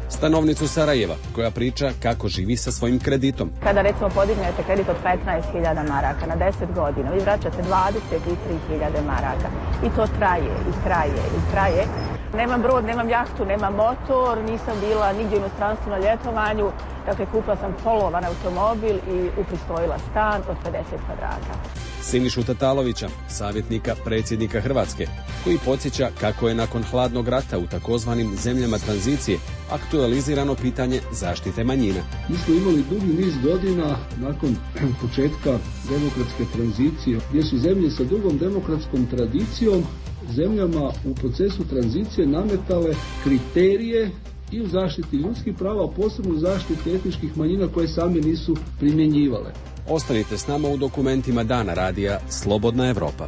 Stanovnicu Sarajeva, koja priča kako živi sa svojim kreditom. Kada recimo podignete kredit od petnaest hiljada maraka na deset godina, vi vraćate dvadeset tri hiljade maraka. I to traje, i traje, i traje. Nemam brod, nemam jahtu, nemam motor, nisam bila nigdje u inostranstvu na ljetovanju. Dakle, kupila sam polovan automobil i upristojila stan od pedeset kvadrata. Sinišu Tatalovića, savjetnika predsjednika Hrvatske, koji podsjeća kako je nakon hladnog rata u takozvanim zemljama tranzicije aktualizirano pitanje zaštite manjina. Mi smo imali dugi niz godina nakon početka demokratske tranzicije, gdje su zemlje sa dugom demokratskom tradicijom zemljama u procesu tranzicije nametale kriterije i u zaštiti ljudskih prava, a posebno u zaštiti etničkih manjina koje same nisu primjenjivale. Ostanite s nama u dokumentima dana Radija Slobodna Evropa.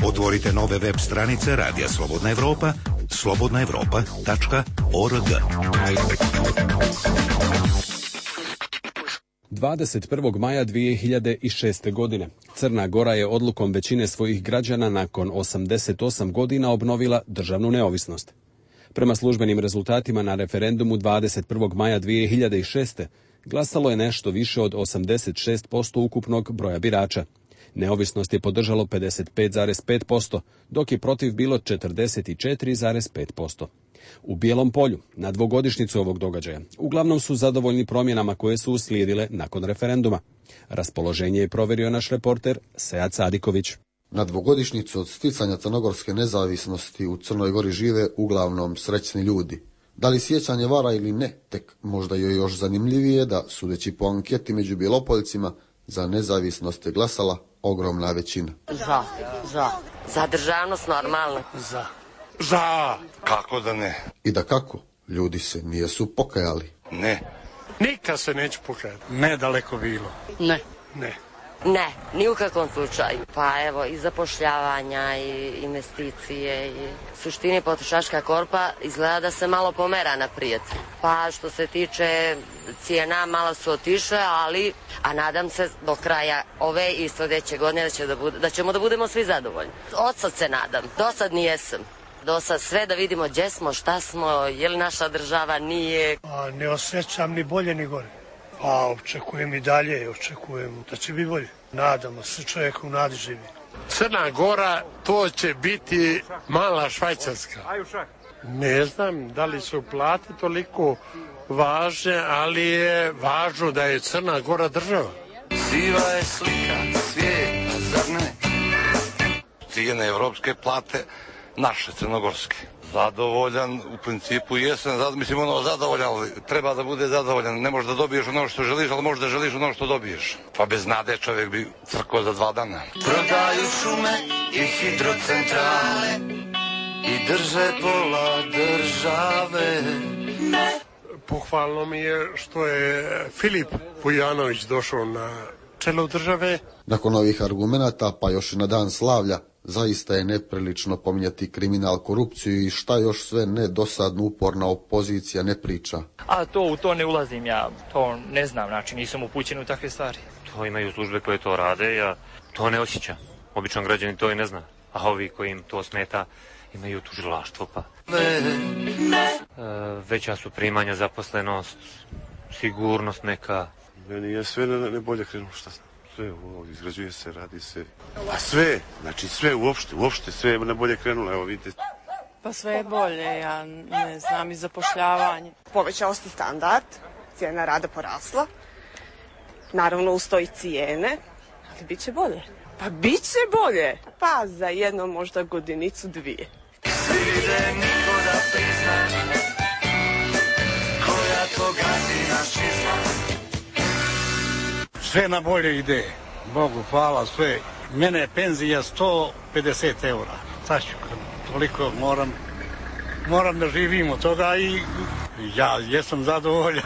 Otvorite nove web stranice Radija Slobodna Evropa, slobodna evropa tačka org. dvadeset prvog maja dvije hiljade šeste. godine Crna Gora je odlukom većine svojih građana nakon osamdeset osam godina obnovila državnu neovisnost. Prema službenim rezultatima na referendumu dvadeset prvog maja dvije hiljade šeste. glasalo je nešto više od osamdeset šest posto ukupnog broja birača. Neovisnost je podržalo pedeset pet zarez pet posto, dok je protiv bilo četrdeset četiri zarez pet posto. U Bijelom polju, na dvogodišnjicu ovog događaja, uglavnom su zadovoljni promjenama koje su uslijedile nakon referenduma. Raspoloženje je provjerio naš reporter Sead Sadiković. Na dvogodišnjicu od sticanja crnogorske nezavisnosti u Crnoj Gori žive uglavnom srećni ljudi. Da li sjećanje vara ili ne, tek možda je još zanimljivije da, sudeći po anketi među Bjelopoljcima, za nezavisnost je glasala ogromna većina. Za, za. Za državnost normalno. Za. Za. Kako da ne? I da kako? Ljudi se nijesu pokajali. Ne. Nikad se neću pokajati. Ne daleko bilo. Ne. Ne. Ne, ni u kakvom slučaju. Pa evo, i zapošljavanja, i investicije, i suštini potrošačka korpa izgleda da se malo pomera naprijed. Pa što se tiče cijena, malo su otišle, ali, a nadam se do kraja ove i sljedeće godine da, će da, bude, da ćemo da budemo svi zadovoljni. Od sad se nadam, do sad nijesam. Do sad sve da vidimo gdje smo, šta smo, je li naša država, nije. A ne osjećam ni bolje ni gore. A očekujem i dalje, očekujem da će biti bolje. Nadamo se, čovjek u nadi živi. Crna Gora, to će biti mala Švajcarska. Ne znam da li su plate toliko važne, ali je važno da je Crna Gora država. Siva je slika svijeta, zar ne? Cijene evropske plate, naše crnogorske. Zadovoljan, u principu jesam, zad, mislim ono zadovoljan, ali treba da bude zadovoljan. Ne možeš da dobiješ ono što želiš, ali možeš da želiš ono što dobiješ. Pa bez nade čovjek bi crkao za dva dana. Prodaju šume i hidrocentrale i drže pola države. Ne. Pohvalno mi je što je Filip Vujanović došao na čelo države. Nakon ovih argumenata, pa još i na dan slavlja, zaista je neprilično pominjati kriminal, korupciju i šta još sve ne dosadno uporna opozicija ne priča. A to u to ne ulazim ja, to ne znam, znači nisam upućen u takve stvari. To imaju službe koje to rade, ja to ne osjećam. Običan građanin to i ne zna, a ovi koji im to smeta imaju tužilaštvo pa. Ne. E, veća su primanja, zaposlenost, sigurnost neka. Meni je sve ne, ne bolje krenulo, šta znam. Sve ovo izgrađuje se, radi se. A sve, znači sve uopšte, uopšte sve je najbolje krenulo, evo vidite. Pa sve je bolje, ja ne znam, i zapošljavanje. Povećao se standard, cijena rada porasla, naravno uz to i cijene, ali bit će bolje. Pa bit će bolje. Pa za jedno možda godinicu dvije. Svide niko da prizna, koja to gazi nas čizna. Sve na bolje ide. Bogu hvala, sve. Mene je penzija sto pedeset eura. Sad ću, toliko moram, moram da živim od toga i ja jesam zadovoljan.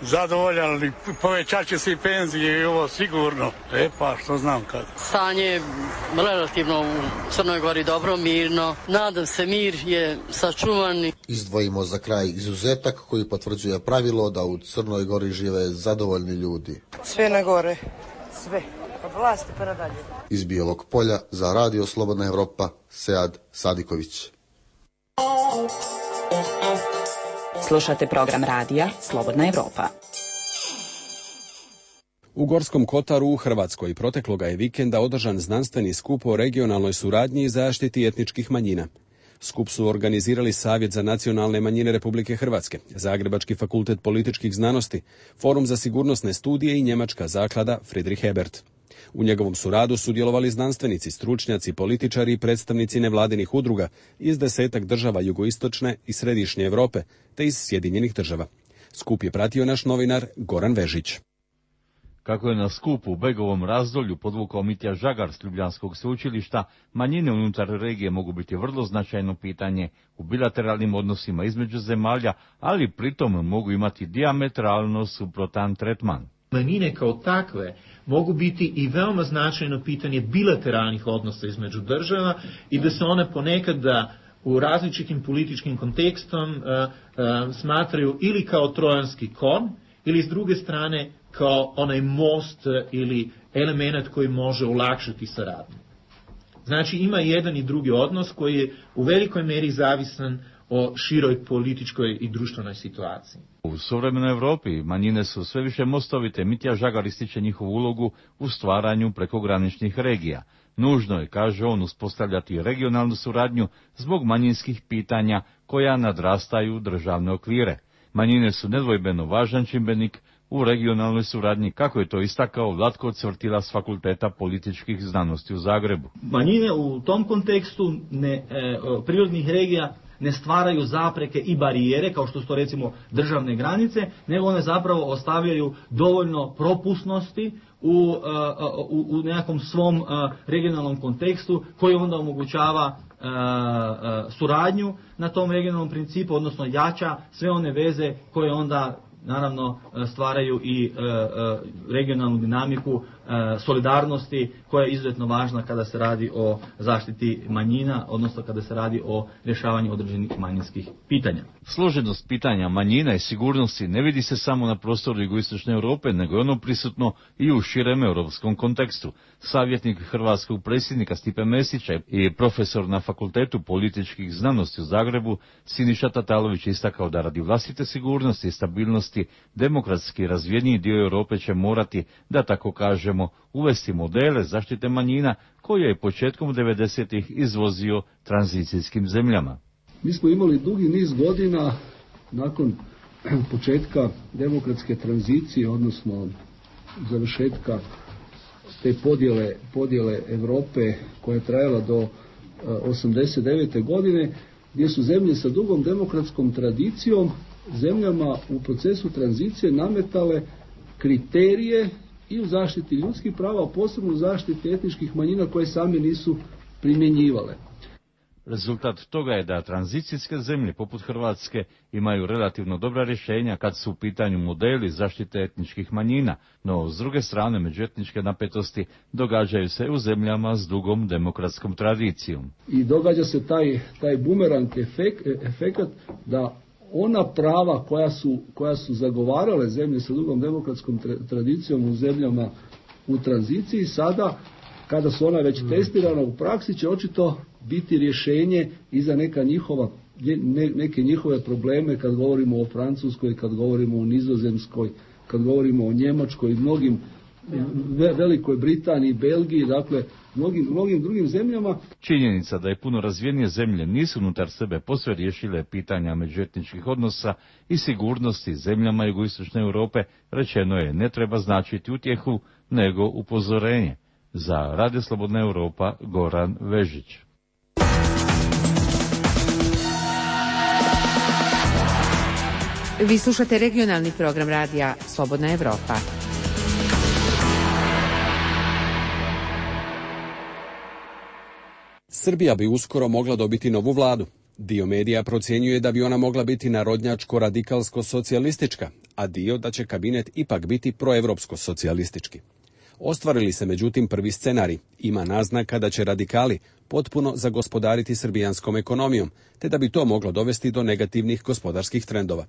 Zadovoljan, ali povećat će se i penzije i ovo sigurno. E pa, što znam kada. Stanje je relativno u Crnoj Gori dobro, mirno. Nadam se, mir je sačuvan. Izdvojimo za kraj izuzetak koji potvrđuje pravilo da u Crnoj Gori žive zadovoljni ljudi. Sve na gore. Sve. Od vlasti pa nadalje. Iz Bijelog Polja za Radio Slobodna Evropa, Sead Sadiković. Slušate program radija Slobodna Evropa. U Gorskom Kotaru u Hrvatskoj protekloga je vikenda održan znanstveni skup o regionalnoj suradnji i zaštiti etničkih manjina. Skup su organizirali Savjet za nacionalne manjine Republike Hrvatske, Zagrebački fakultet političkih znanosti, Forum za sigurnosne studije i njemačka zaklada Friedrich Ebert. U njegovom su radu sudjelovali znanstvenici, stručnjaci, političari i predstavnici nevladinih udruga iz desetak država jugoistočne i središnje Europe te iz Sjedinjenih država. Skup je pratio naš novinar Goran Vežić. Kako je na skupu u Begovom razdolju podvukao Mitja Žagar s Ljubljanskog sveučilišta, manjine unutar regije mogu biti vrlo značajno pitanje u bilateralnim odnosima između zemalja, ali pritom mogu imati dijametralno suprotan tretman. Manjine kao takve mogu biti i veoma značajno pitanje bilateralnih odnosa između država i da se one ponekad da u različitim političkim kontekstom uh, uh, smatraju ili kao trojanski konj ili s druge strane kao onaj most ili element koji može olakšati saradnju. Znači ima jedan i drugi odnos koji je u velikoj meri zavisan o široj političkoj i društvenoj situaciji. U suvremenoj Evropi manjine su sve više mostovite. Mitja Žagar ističe njihovu ulogu u stvaranju prekograničnih regija. Nužno je, kaže on, uspostavljati regionalnu suradnju zbog manjinskih pitanja koja nadrastaju državne okvire. Manjine su nedvojbeno važan čimbenik u regionalnoj suradnji, kako je to istakao Vlatko Cvrtila s Fakulteta političkih znanosti u Zagrebu. Manjine u tom kontekstu ne, e, prirodnih regija ne stvaraju zapreke i barijere, kao što su to recimo državne granice, nego one zapravo ostavljaju dovoljno propusnosti u, u, u nekakvom svom regionalnom kontekstu koji onda omogućava suradnju na tom regionalnom principu, odnosno jača sve one veze koje onda naravno stvaraju i regionalnu dinamiku solidarnosti koja je izuzetno važna kada se radi o zaštiti manjina, odnosno kada se radi o rješavanju određenih manjinskih pitanja. Složenost pitanja manjina i sigurnosti ne vidi se samo na prostoru jugoistočne Europe, nego je ono prisutno i u širem europskom kontekstu. Savjetnik hrvatskog predsjednika Stipe Mesića i profesor na Fakultetu političkih znanosti u Zagrebu Siniša Tatalović istakao da radi vlastite sigurnosti i stabilnosti demokratski razvijeniji dio Europe će morati, da tako kažemo, uvesti modele zaštite manjina koje je početkom devedesetih izvozio tranzicijskim zemljama. Mi smo imali dugi niz godina nakon početka demokratske tranzicije, odnosno završetka te podjele, podjele Europe koja je trajala do osamdeset devete godine, gdje su zemlje sa dugom demokratskom tradicijom zemljama u procesu tranzicije nametale kriterije i u zaštiti ljudskih prava, a posebno u zaštiti etničkih manjina koje same nisu primjenjivale. Rezultat toga je da tranzicijske zemlje poput Hrvatske imaju relativno dobra rješenja kad su u pitanju modeli zaštite etničkih manjina, no s druge strane međuetničke napetosti događaju se u zemljama s dugom demokratskom tradicijom. I događa se taj, taj bumerang efekt, efekat da ona prava koja su, koja su zagovarale zemlje sa dugom demokratskom tradicijom u zemljama u tranziciji, sada kada su ona već testirana u praksi će očito biti rješenje i za neka njihova, ne, neke njihove probleme kad govorimo o Francuskoj, kad govorimo o Nizozemskoj, kad govorimo o Njemačkoj i mnogim ve, Velikoj Britaniji, Belgiji, dakle mnogim, mnogim drugim zemljama. Činjenica da je puno razvijenije zemlje nisu unutar sebe posve riješile pitanja međuetničkih odnosa i sigurnosti zemljama jugoistočne Europe, rečeno je, ne treba značiti utjehu, nego upozorenje. Za Radio Slobodna Europa, Goran Vežić. Vi slušate regionalni program radija Slobodna Evropa. Srbija bi uskoro mogla dobiti novu vladu. Dio medija procjenjuje da bi ona mogla biti narodnjačko-radikalsko-socijalistička, a dio da će kabinet ipak biti proevropsko-socijalistički. Ostvarili se međutim prvi scenarij. Ima naznaka da će radikali potpuno zagospodariti srbijanskom ekonomijom, te da bi to moglo dovesti do negativnih gospodarskih trendova.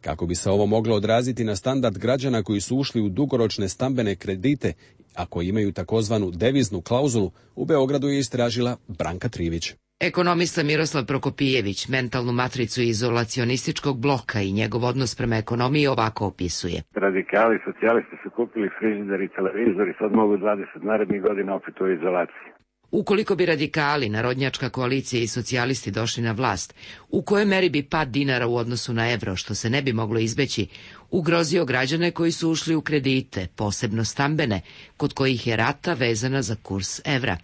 Kako bi se ovo moglo odraziti na standard građana koji su ušli u dugoročne stambene kredite, a koji imaju takozvanu deviznu klauzulu, u Beogradu je istražila Branka Trivić. Ekonomista Miroslav Prokopijević mentalnu matricu izolacionističkog bloka i njegov odnos prema ekonomiji ovako opisuje. Radikali, socijalisti su kupili frižider i televizor i sad mogu dvadeset narednih godina opet u izolaciji. Ukoliko bi radikali, narodnjačka koalicija i socijalisti došli na vlast, u kojoj meri bi pad dinara u odnosu na evro, što se ne bi moglo izbeći, ugrozio građane koji su ušli u kredite, posebno stambene, kod kojih je rata vezana za kurs evra?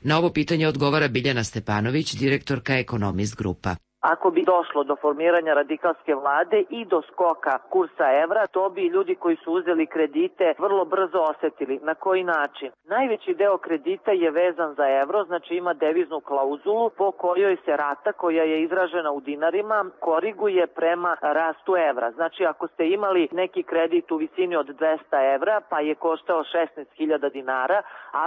Na ovo pitanje odgovara Biljana Stepanović, direktorka Ekonomist Grupa. Ako bi došlo do formiranja radikalske vlade i do skoka kursa evra, to bi ljudi koji su uzeli kredite vrlo brzo osetili. Na koji način? Najveći deo kredita je vezan za evro, znači ima deviznu klauzulu po kojoj se rata koja je izražena u dinarima koriguje prema rastu evra. Znači ako ste imali neki kredit u visini od dvesta evra pa je koštao šesnaest hiljada dinara,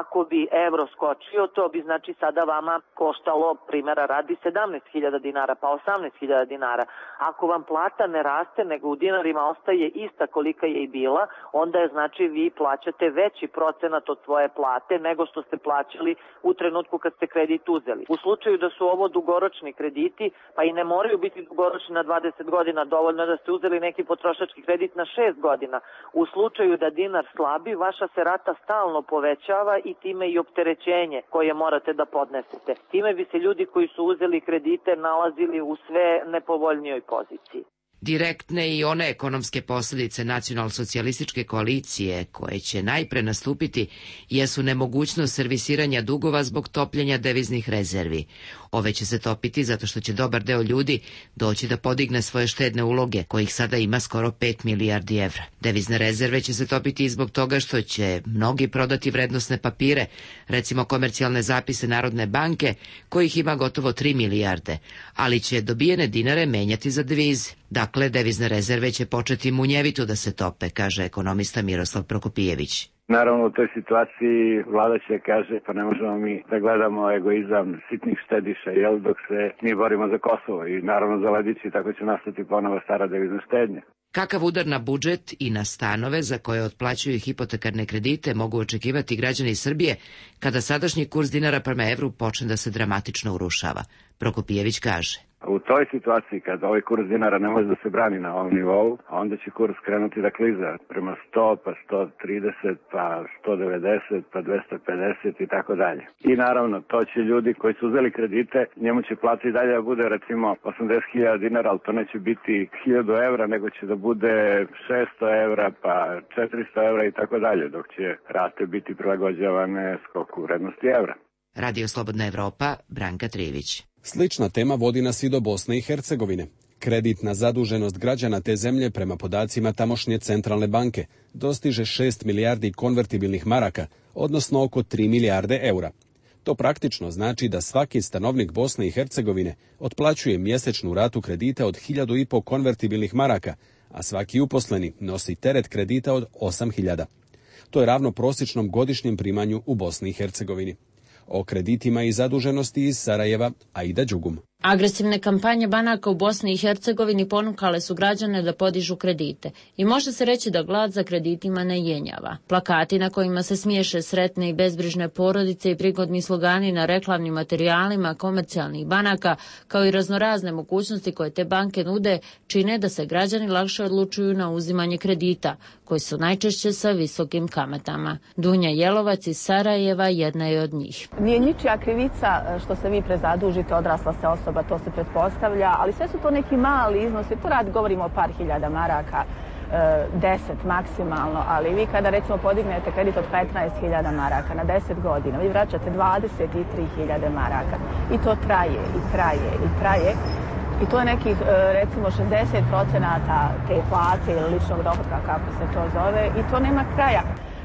ako bi evro skočio to bi znači sada vama koštalo, primjera radi, sedamnaest hiljada dinara, pa osamnaest hiljada dinara. Ako vam plata ne raste, nego u dinarima ostaje ista kolika je i bila, onda je znači vi plaćate veći procenat od svoje plate nego što ste plaćali u trenutku kad ste kredit uzeli. U slučaju da su ovo dugoročni krediti, pa i ne moraju biti dugoročni na dvadeset godina, dovoljno da ste uzeli neki potrošački kredit na šest godina. U slučaju da dinar slabi, vaša se rata stalno povećava i time i opterećenje koje morate da podnesete. Time bi se ljudi koji su uzeli kredite nalazili u sve nepovoljnijoj poziciji. Direktne i one ekonomske posljedice nacionalsocijalističke koalicije koje će najpre nastupiti jesu nemogućnost servisiranja dugova zbog topljenja deviznih rezervi. Ove će se topiti zato što će dobar deo ljudi doći da podigne svoje štedne uloge, kojih sada ima skoro pet milijardi evra. Devizne rezerve će se topiti i zbog toga što će mnogi prodati vrednosne papire, recimo komercijalne zapise Narodne banke, kojih ima gotovo tri milijarde, ali će dobijene dinare menjati za devize. Dakle, devizne rezerve će početi munjevito da se tope, kaže ekonomista Miroslav Prokopijević. Naravno, u toj situaciji vlada će kaže pa ne možemo mi da gledamo egoizam sitnih štediša, jel, dok se mi borimo za Kosovo i naravno za Ladići, tako će nastati ponovo stara devizna štednja. Kakav udar na budžet i na stanove za koje otplaćuju hipotekarne kredite mogu očekivati građani Srbije kada sadašnji kurs dinara prema evru počne da se dramatično urušava? Prokopijević kaže. U toj situaciji kada ovaj kurs dinara ne može da se brani na ovom nivou, onda će kurs krenuti da kliza prema sto, pa sto trideset, pa sto devedeset, pa dvesta pedeset i tako dalje. I naravno, to će ljudi koji su uzeli kredite, njemu će plata i dalje da bude recimo osamdeset hiljada dinara, ali to neće biti hiljadu evra, nego će da bude šesto evra, pa četiristo evra i tako dalje, dok će rate biti prilagođavane skoku vrednosti evra. Radio Slobodna Evropa, Branka Trivić. Slična tema vodi nas i do Bosne i Hercegovine. Kreditna zaduženost građana te zemlje prema podacima tamošnje centralne banke dostiže šest milijardi konvertibilnih maraka, odnosno oko tri milijarde eura. To praktično znači da svaki stanovnik Bosne i Hercegovine otplaćuje mjesečnu ratu kredita od hiljadu i po konvertibilnih maraka, a svaki uposleni nosi teret kredita od osam hiljada. To je ravno prosječnom godišnjem primanju u Bosni i Hercegovini. O kreditima i zaduženosti iz Sarajeva, Aida Đugum. Agresivne kampanje banaka u Bosni i Hercegovini ponukale su građane da podižu kredite i može se reći da glad za kreditima ne jenjava. Plakati na kojima se smiješe sretne i bezbrižne porodice i prigodni slogani na reklamnim materijalima komercijalnih banaka, kao i raznorazne mogućnosti koje te banke nude, čine da se građani lakše odlučuju na uzimanje kredita, koji su najčešće sa visokim kamatama. Dunja Jelovac iz Sarajeva jedna je od njih. Nije ničija krivica što se vi prezadužite, odrasla se osoba, to se pretpostavlja, ali sve su to neki mali iznosi, to rad govorimo o par hiljada maraka. deset maksimalno, ali vi kada recimo podignete kredit od petnaest hiljada maraka na deset godina, vi vraćate dvadeset tri hiljade maraka i to traje i traje i traje i to je nekih recimo šezdeset procenata te plate ili ličnog dohotka kako se to zove i to nema kraja.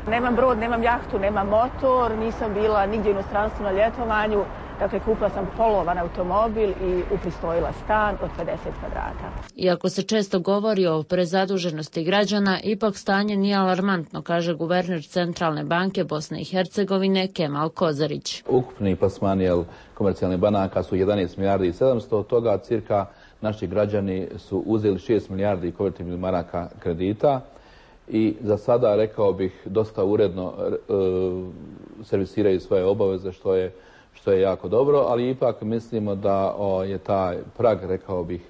Nemam brod, nemam jahtu, nemam motor, nisam bila nigdje u inostranstvu na ljetovanju. Dakle, kupila sam polovan automobil i upristojila stan od pedeset kvadrata. Iako se često govori o prezaduženosti građana, ipak stanje nije alarmantno, kaže guverner Centralne banke Bosne i Hercegovine Kemal Kozarić. Ukupni plasmani komercijalnih banaka su jedanaest milijardi i sedamsto, od toga cirka naši građani su uzeli šest milijardi konvertibilnih maraka kredita i za sada, rekao bih, dosta uredno e, servisiraju svoje obaveze, što je što je jako dobro, ali ipak mislimo da o, je taj prag, rekao bih,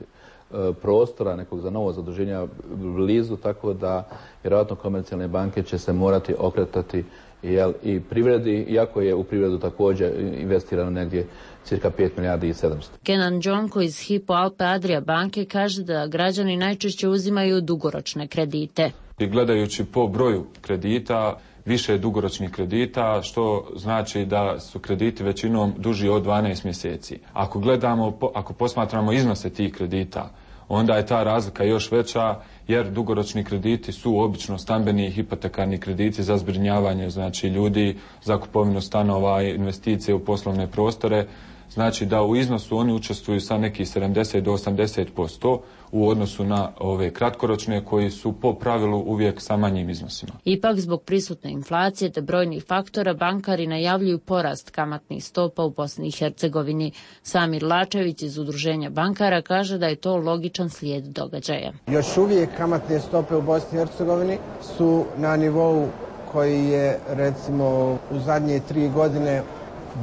e, prostora nekog za novo zaduženja blizu, tako da vjerojatno komercijalne banke će se morati okretati jel, i privredi, iako je u privredu također investirano negdje cirka pet milijardi i sedamsto. Kenan Džonko iz Hypo Alpe Adria banke kaže da građani najčešće uzimaju dugoročne kredite. I gledajući po broju kredita, više dugoročnih kredita, što znači da su krediti većinom duži od dvanaest mjeseci. Ako gledamo, ako posmatramo iznose tih kredita, onda je ta razlika još veća, jer dugoročni krediti su obično stambeni i hipotekarni krediti za zbrinjavanje, znači ljudi, za kupovinu stanova, investicije u poslovne prostore. Znači da u iznosu oni učestvuju sa nekih sedamdeset do osamdeset posto u odnosu na ove kratkoročne koji su po pravilu uvijek sa manjim iznosima. Ipak zbog prisutne inflacije te brojnih faktora bankari najavljuju porast kamatnih stopa u Bosni i Hercegovini. Samir Lačević iz Udruženja bankara kaže da je to logičan slijed događaja. Još uvijek kamatne stope u Bosni i Hercegovini su na nivou koji je recimo u zadnje tri godine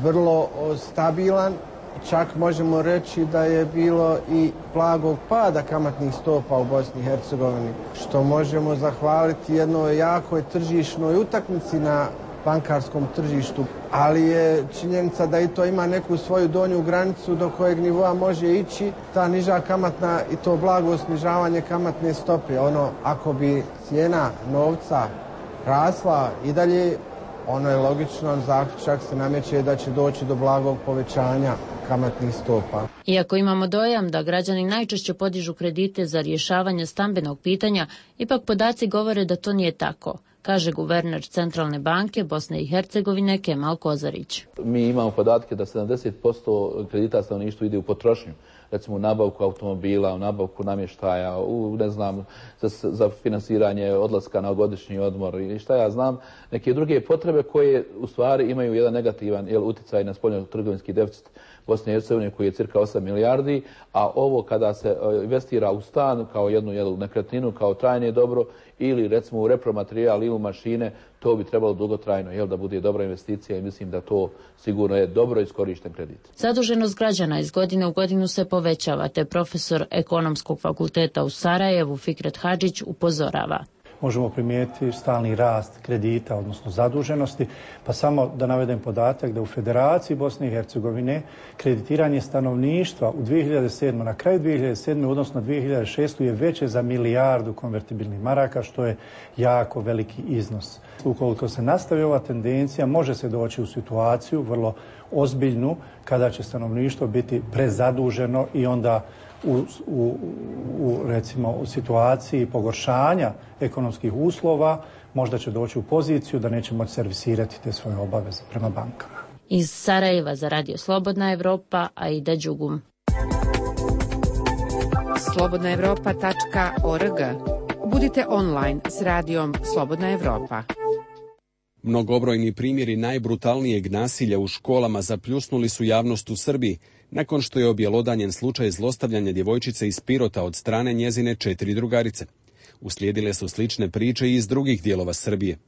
vrlo stabilan, čak možemo reći da je bilo i blagog pada kamatnih stopa u Bosni i Hercegovini, što možemo zahvaliti jednoj jakoj tržišnoj utakmici na bankarskom tržištu, ali je činjenica da i to ima neku svoju donju granicu do kojeg nivoa može ići ta niža kamatna i to blago snižavanje kamatne stope. Ono, ako bi cijena novca rasla i dalje, ono je logično, zaključak se nameće da će doći do blagog povećanja kamatnih stopa. Iako imamo dojam da građani najčešće podižu kredite za rješavanje stambenog pitanja, ipak podaci govore da to nije tako, kaže guverner Centralne banke Bosne i Hercegovine Kemal Kozarić. Mi imamo podatke da sedamdeset posto kredita stanovništvu ide u potrošnju. Recimo u nabavku automobila, u nabavku namještaja, u, ne znam, za, za finansiranje odlaska na godišnji odmor i šta ja znam, neke druge potrebe koje u stvari imaju jedan negativan jel, utjecaj na spoljno-trgovinski deficit Bosne i Hercegovine koji je cirka osam milijardi, a ovo kada se investira u stan kao jednu jel, nekretninu, kao trajne dobro ili recimo u repromaterijal ili u mašine, to bi trebalo dugotrajno jel, da bude dobra investicija i mislim da to sigurno je dobro iskorišten kredit. Zaduženost građana iz godine u godinu se povećava, te profesor Ekonomskog fakulteta u Sarajevu Fikret Hadžić upozorava. Možemo primijetiti stalni rast kredita, odnosno zaduženosti, pa samo da navedem podatak da u Federaciji Bosne i Hercegovine kreditiranje stanovništva u dvije hiljade sedmoj. na kraju dvije hiljade sedme. odnosno dvije hiljade šeste. je veće za milijardu konvertibilnih maraka, što je jako veliki iznos. Ukoliko se nastavi ova tendencija, može se doći u situaciju vrlo ozbiljnu kada će stanovništvo biti prezaduženo i onda U, u, u, recimo, u situaciji pogoršanja ekonomskih uslova možda će doći u poziciju da neće moći servisirati te svoje obaveze prema bankama. Iz Sarajeva za Radio Slobodna Evropa, Aida Đugum. slobodna evropa tačka org. Budite online s radijom Slobodna Evropa. Mnogobrojni primjeri najbrutalnijeg nasilja u školama zapljusnuli su javnost u Srbiji, nakon što je objelodanjen slučaj zlostavljanja djevojčice iz Pirota od strane njezine četiri drugarice. Uslijedile su slične priče i iz drugih dijelova Srbije.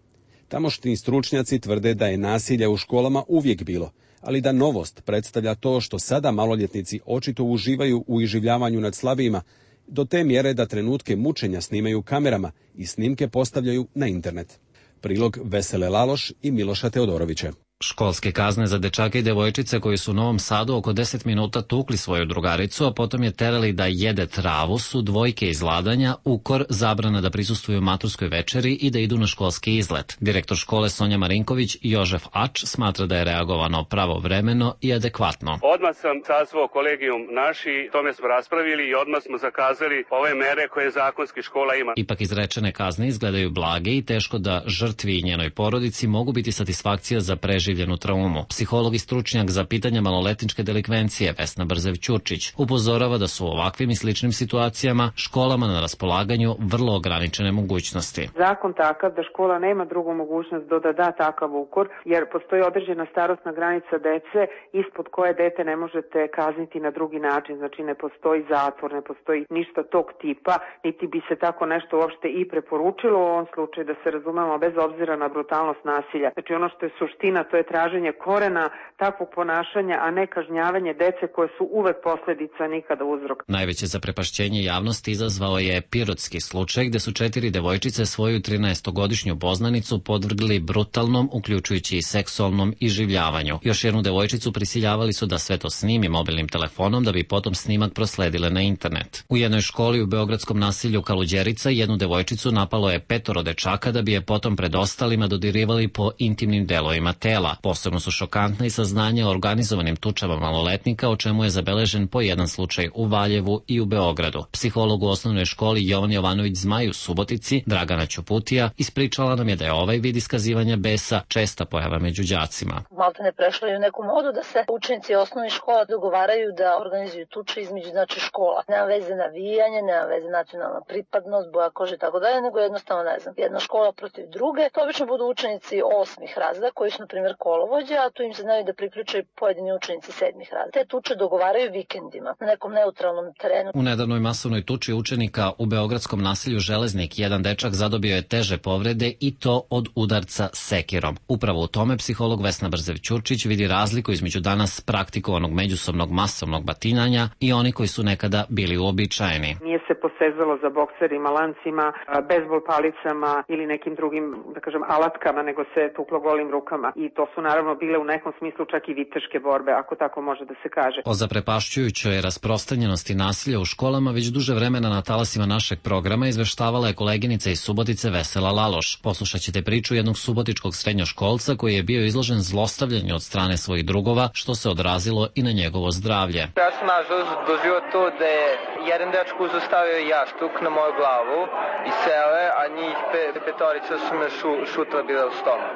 Tamošnji stručnjaci tvrde da je nasilja u školama uvijek bilo, ali da novost predstavlja to što sada maloljetnici očito uživaju u iživljavanju nad slabijima, do te mjere da trenutke mučenja snimaju kamerama i snimke postavljaju na internet. Prilog Vesele Laloš i Miloša Teodorovića. Školske kazne za dečake i devojčice koji su u Novom Sadu oko deset minuta tukli svoju drugaricu, a potom je terali da jede travu, su dvojke izladanja, ukor, zabrana da prisustvuju maturskoj večeri i da idu na školski izlet. Direktor škole Sonja Marinković i Jožef Ač smatra da je reagovano pravovremeno i adekvatno. Odmah sam sazvao kolegijum naši, tome smo raspravili i odmah smo zakazali ove mere koje zakonski škola ima. Ipak izrečene kazne izgledaju blage i teško da žrtvi i njenoj porodici mogu biti satisfakcija za preživljenu traumu. Psiholog i stručnjak za pitanja maloletničke delikvencije Vesna Brzev-Ćurčić upozorava da su u ovakvim i sličnim situacijama školama na raspolaganju vrlo ograničene mogućnosti. Zakon takav da škola nema drugu mogućnost do da da takav ukor, jer postoji određena starosna granica dece ispod koje dete ne možete kazniti na drugi način. Znači ne postoji zatvor, ne postoji ništa tog tipa, niti bi se tako nešto uopšte i preporučilo u ovom slučaju, da se razumemo, bez obzira na brutalnost nasilja. Znači ono što je suština, to je traženje korena takvog ponašanja, a ne kažnjavanje dece koje su uvek posledica, nikada uzrok. Najveće zaprepašćenje javnosti izazvao je pirotski slučaj gde su četiri devojčice svoju trinaestogodišnju poznanicu podvrgli brutalnom, uključujući i seksualnom iživljavanju. Još jednu devojčicu prisiljavali su da sve to snimi mobilnim telefonom da bi potom snimak prosledile na internet. U jednoj školi u beogradskom naselju Kaluđerica jednu devojčicu napalo je petoro dečaka da bi je potom pred ostalima dodirivali po intimnim delovima tela. Posebno su šokantna i saznanja o organizovanim tučama maloletnika, o čemu je zabeležen po jedan slučaj u Valjevu i u Beogradu. Psiholog u osnovnoj školi Jovan Jovanović Zmaj u Subotici, Dragana Ćuputija, ispričala nam je da je ovaj vid iskazivanja besa česta pojava među đacima. Malte ne prešlo je u neku modu da se učenici osnovnih škola dogovaraju da organizuju tuče između znači škola. Nema veze navijanje, nema veze nacionalna pripadnost, boja kože i tako dalje, nego jednostavno ne znam, jedna škola protiv druge. To obično budu učenici osmih razreda koji su na primjer kolovođe, a tu im se znaju da priključaju pojedini učenici sedmih razreda. Te tuče dogovaraju vikendima na nekom neutralnom terenu. U nedavnoj masovnoj tuči učenika u beogradskom naselju Železnik jedan dečak zadobio je teže povrede i to od udarca sekirom. Upravo u tome psiholog Vesna Brzev-Ćurčić vidi razliku između danas praktikovanog međusobnog masovnog batinanja i oni koji su nekada bili uobičajeni. Nije se posezalo za bokserima, lancima, bejzbol palicama ili nekim drugim, da kažem, alatkama, nego se tuklo golim rukama. I to su naravno bile u nekom smislu čak i viteške borbe, ako tako može da se kaže. O zaprepašćujućoj rasprostranjenosti nasilja u školama već duže vremena na talasima našeg programa izveštavala je koleginica iz Subotice Vesela Laloš. Poslušat ćete priču jednog subotičkog srednjoškolca koji je bio izložen zlostavljanju od strane svojih drugova, što se odrazilo i na njegovo zdravlje. Ja sam nažalost doživio to da je jedan dečko uzostavio jaštuk na moju glavu i sele, a njih pe, petorica su me šu, šutila bila u stomak.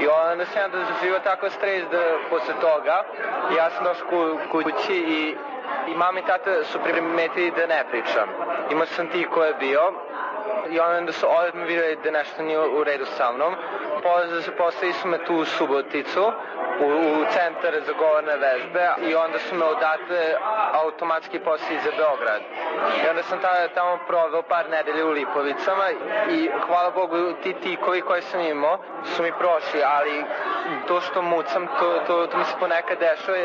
I onda sam ja doživio tako stres da posle toga ja sam došao kući i, i mama i tata su primetili da ne pričam. Imao sam ti ko je bio i onda su odmah vidjeli da nešto nije u redu sa mnom. Poslali su me tu u Suboticu, u, u centar za govorne vežbe i onda su me odatle automatski poslali za Beograd. I onda sam tada, tamo proveo par nedelje u Lipovicama i hvala Bogu ti tikovi koji sam imao su mi prošli, ali to što mucam, to, to, to mi se ponekad dešava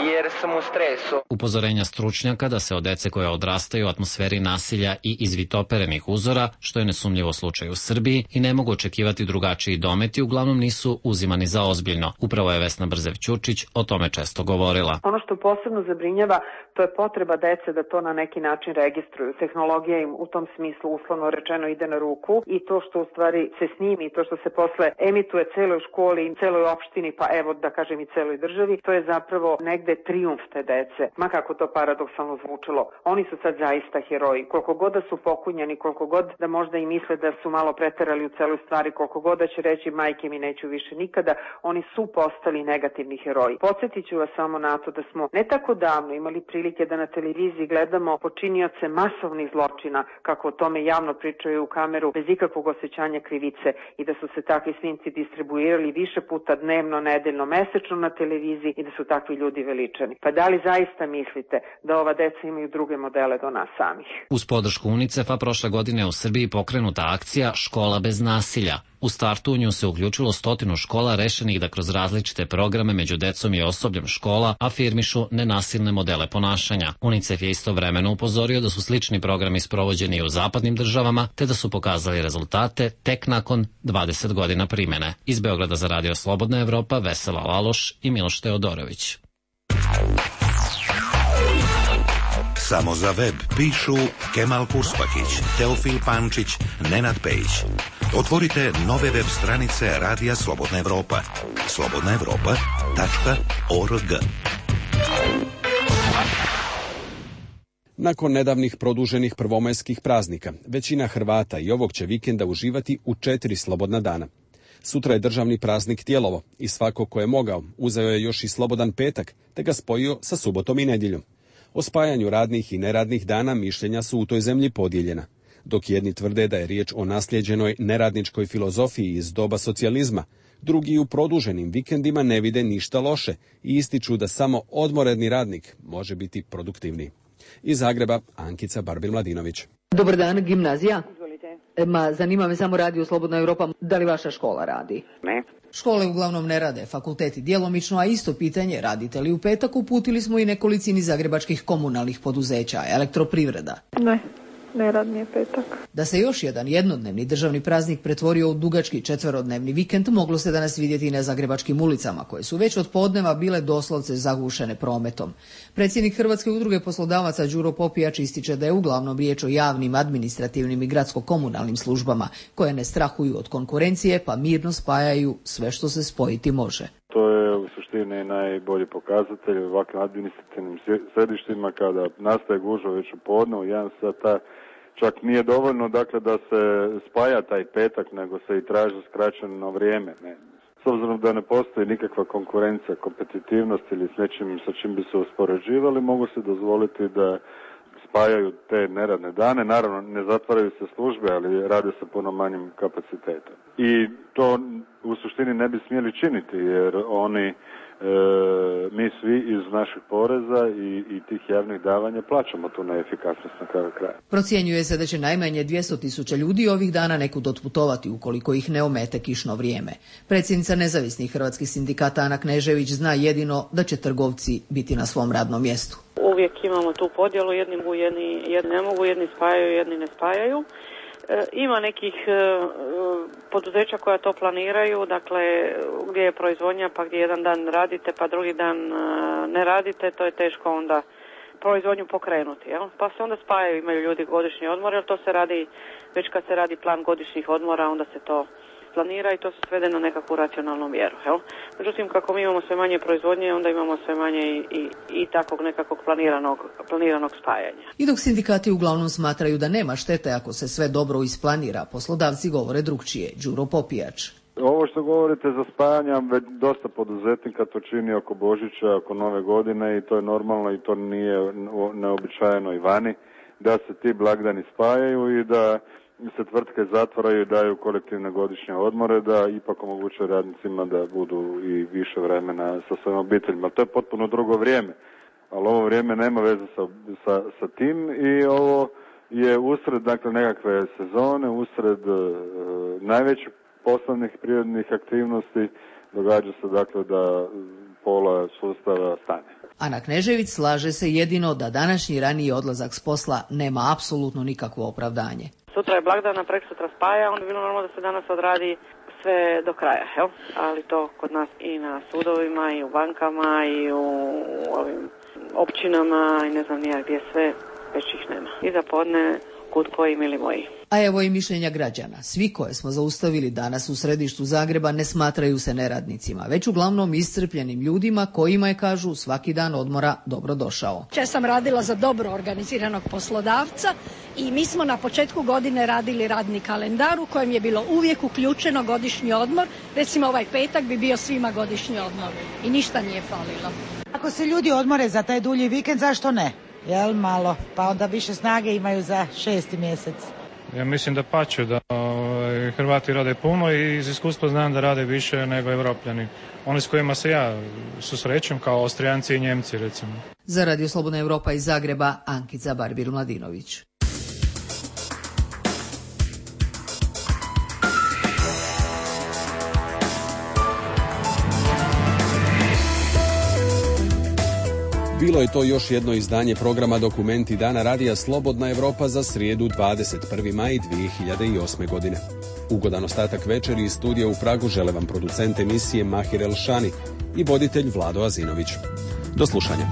jer sam u stresu. Upozorenja stručnjaka da se od dece koje odrastaju u atmosferi nasilja i izvitoperenih uzora, što je nesumnjivo slučaj u Srbiji i ne mogu očekivati drugačiji dometi, uglavnom nisu uzimani za ozbiljno. Upravo je Vesna Brzev-Ćurčić o tome često govorila. Ono što posebno zabrinjava, to je potreba dece da to na neki način registruju. Tehnologija im u tom smislu uslovno rečeno ide na ruku i to što u stvari se snimi, to što se posle emituje celoj školi, celoj opštini, pa evo da kažem i celoj državi, to je zapravo negde trijumf te dece. Ma kako to paradoksalno zvučilo. Oni su sad zaista heroji. Koliko god da su pokunjani, koliko god da možda i misle da su malo preterali u celoj stvari, koliko god da će reći majke mi neću više nikada, oni su postali negativni heroji. Podsjetit ću vas samo na to da smo ne tako davno imali prilike da na televiziji gledamo počinioce masovnih zločina, kako o tome javno pričaju u kameru, bez ikakvog osjećanja krivice i da su se takvi snimci distribuirali više puta dnevno, nedeljno, mesečno na televiziji i da su takvi ljudi veličani. Pa da li zaista mislite da ova deca imaju druge modele do nas samih? Uz podršku UNICEF-a prošle godine u Srbiji pokrenuta akcija Škola bez nasilja. U startu u nju se uključilo stotinu škola rešenih da kroz različite programe među decom i osobljem škola afirmišu nenasilne modele ponašanja. UNICEF je istovremeno upozorio da su slični programi sprovođeni i u zapadnim državama, te da su pokazali rezultate tek nakon dvadeset godina primene. Iz Beograda za Radio Slobodna Evropa, Vesela Laloš i Miloš Teodorović. Samo za web pišu Kemal Kurspakić, Teofil Pančić, Nenad Pejić. Otvorite nove web stranice Radija Slobodna Evropa. slobodna evropa tačka org. Nakon nedavnih produženih prvomajskih praznika, većina Hrvata i ovog će vikenda uživati u četiri slobodna dana. Sutra je državni praznik Tijelovo i svako ko je mogao uzeo je još i slobodan petak, te ga spojio sa subotom i nedjeljom. O spajanju radnih i neradnih dana mišljenja su u toj zemlji podijeljena. Dok jedni tvrde da je riječ o naslijeđenoj neradničkoj filozofiji iz doba socijalizma, drugi u produženim vikendima ne vide ništa loše i ističu da samo odmoredni radnik može biti produktivniji. Iz Zagreba, Ankica Barbil-Mladinović. Dobar dan, gimnazija. Izvolite. Ma, zanima me samo Radio Slobodna Evropa, da li vaša škola radi? Ne. Škole uglavnom ne rade, fakulteti djelomično, a isto pitanje radite li u petak uputili smo i nekolicini zagrebačkih komunalnih poduzeća, Elektroprivreda. Ne. Ne rad mi je petak. Da se još jedan jednodnevni državni praznik pretvorio u dugački četverodnevni vikend moglo se danas vidjeti i na zagrebačkim ulicama, koje su već od podneva bile doslovce zagušene prometom. Predsjednik Hrvatske udruge poslodavaca Đuro Popijač ističe da je uglavnom riječ o javnim, administrativnim i gradsko-komunalnim službama, koje ne strahuju od konkurencije pa mirno spajaju sve što se spojiti može. To je u suštini najbolji pokazatelj u ovakvim administrativnim središtima kada nastaje gužva već u podne, u jedan sata. Čak nije dovoljno dakle da se spaja taj petak, nego se i traži skraćeno vrijeme. Ne. S obzirom da ne postoji nikakva konkurencija, kompetitivnost ili s nečim sa čim bi se uspoređivali, mogu se dozvoliti da spajaju te neradne dane. Naravno, ne zatvaraju se službe, ali rade sa puno manjim kapacitetom. I to u suštini ne bi smjeli činiti, jer oni, e, mi svi iz naših poreza i, i tih javnih davanja plaćamo tu neefikasnost na kraju kraja. Procjenjuje se da će najmanje dvjesto tisuća ljudi ovih dana nekud otputovati ukoliko ih ne omete kišno vrijeme. Predsjednica nezavisnih hrvatskih sindikata Ana Knežević zna jedino da će trgovci biti na svom radnom mjestu. Uvijek imamo tu podjelu, jedni mogu, jedni, jedni ne mogu, jedni spajaju, jedni ne spajaju. E, ima nekih e, poduzeća koja to planiraju, dakle gdje je proizvodnja pa gdje jedan dan radite pa drugi dan e, ne radite, to je teško onda proizvodnju pokrenuti. Jel? Pa se onda spajaju, imaju ljudi godišnji odmor, jer to se radi, već kad se radi plan godišnjih odmora, onda se to planira i to se svede na nekakvu racionalnu mjeru. Jel? Međutim, kako mi imamo sve manje proizvodnje, onda imamo sve manje i, i, i takvog nekakvog planiranog, planiranog spajanja. I dok sindikati uglavnom smatraju da nema štete ako se sve dobro isplanira, poslodavci govore drugčije. Đuro Popijač. Ovo što govorite za spajanja, već dosta poduzetnika to čini oko Božića, oko Nove godine i to je normalno i to nije neobičajeno i vani, da se ti blagdani spajaju i da se tvrtke zatvaraju i daju kolektivne godišnje odmore, da ipak omogućuje radnicima da budu i više vremena sa svojim obiteljima. To je potpuno drugo vrijeme, ali ovo vrijeme nema veze sa, sa, sa tim i ovo je usred dakle, nekakve sezone, usred e, najvećih poslovnih prirodnih aktivnosti, događa se dakle da pola sustava stane. Ana Knežević slaže se jedino da današnji raniji odlazak s posla nema apsolutno nikakvo opravdanje. Sutra je blagdana, preksutra spaja, onda bi bilo normalno da se danas odradi sve do kraja, jel? Ali to kod nas i na sudovima, i u bankama, i u ovim općinama, i ne znam nija gdje sve, već ih nema. I za podne, kud koji, mili moji. A evo i mišljenja građana. Svi koje smo zaustavili danas u središtu Zagreba ne smatraju se neradnicima, već uglavnom iscrpljenim ljudima kojima je, kažu, svaki dan odmora dobro došao. Ja sam radila za dobro organiziranog poslodavca i mi smo na početku godine radili radni kalendar u kojem je bilo uvijek uključeno godišnji odmor. Recimo ovaj petak bi bio svima godišnji odmor i ništa nije falilo. Ako se ljudi odmore za taj dulji vikend, zašto ne? Jel malo, pa onda više snage imaju za šesti mjesec. Ja mislim da pače, da ovaj, Hrvati rade puno i iz iskustva znam da rade više nego Evropljani. Oni s kojima se ja susrećem kao Austrijanci i Njemci recimo. Za Radio Slobodna Evropa iz Zagreba, Ankica Barbil-Mladinović. Bilo je to još jedno izdanje programa Dokumenti Dana radija Slobodna Evropa za srijedu dvadeset prvi maj dvije hiljade osme. godine. Ugodan ostatak večeri iz studija u Pragu žele vam producent emisije Mahir Elšani i voditelj Vlado Azinović. Do slušanja.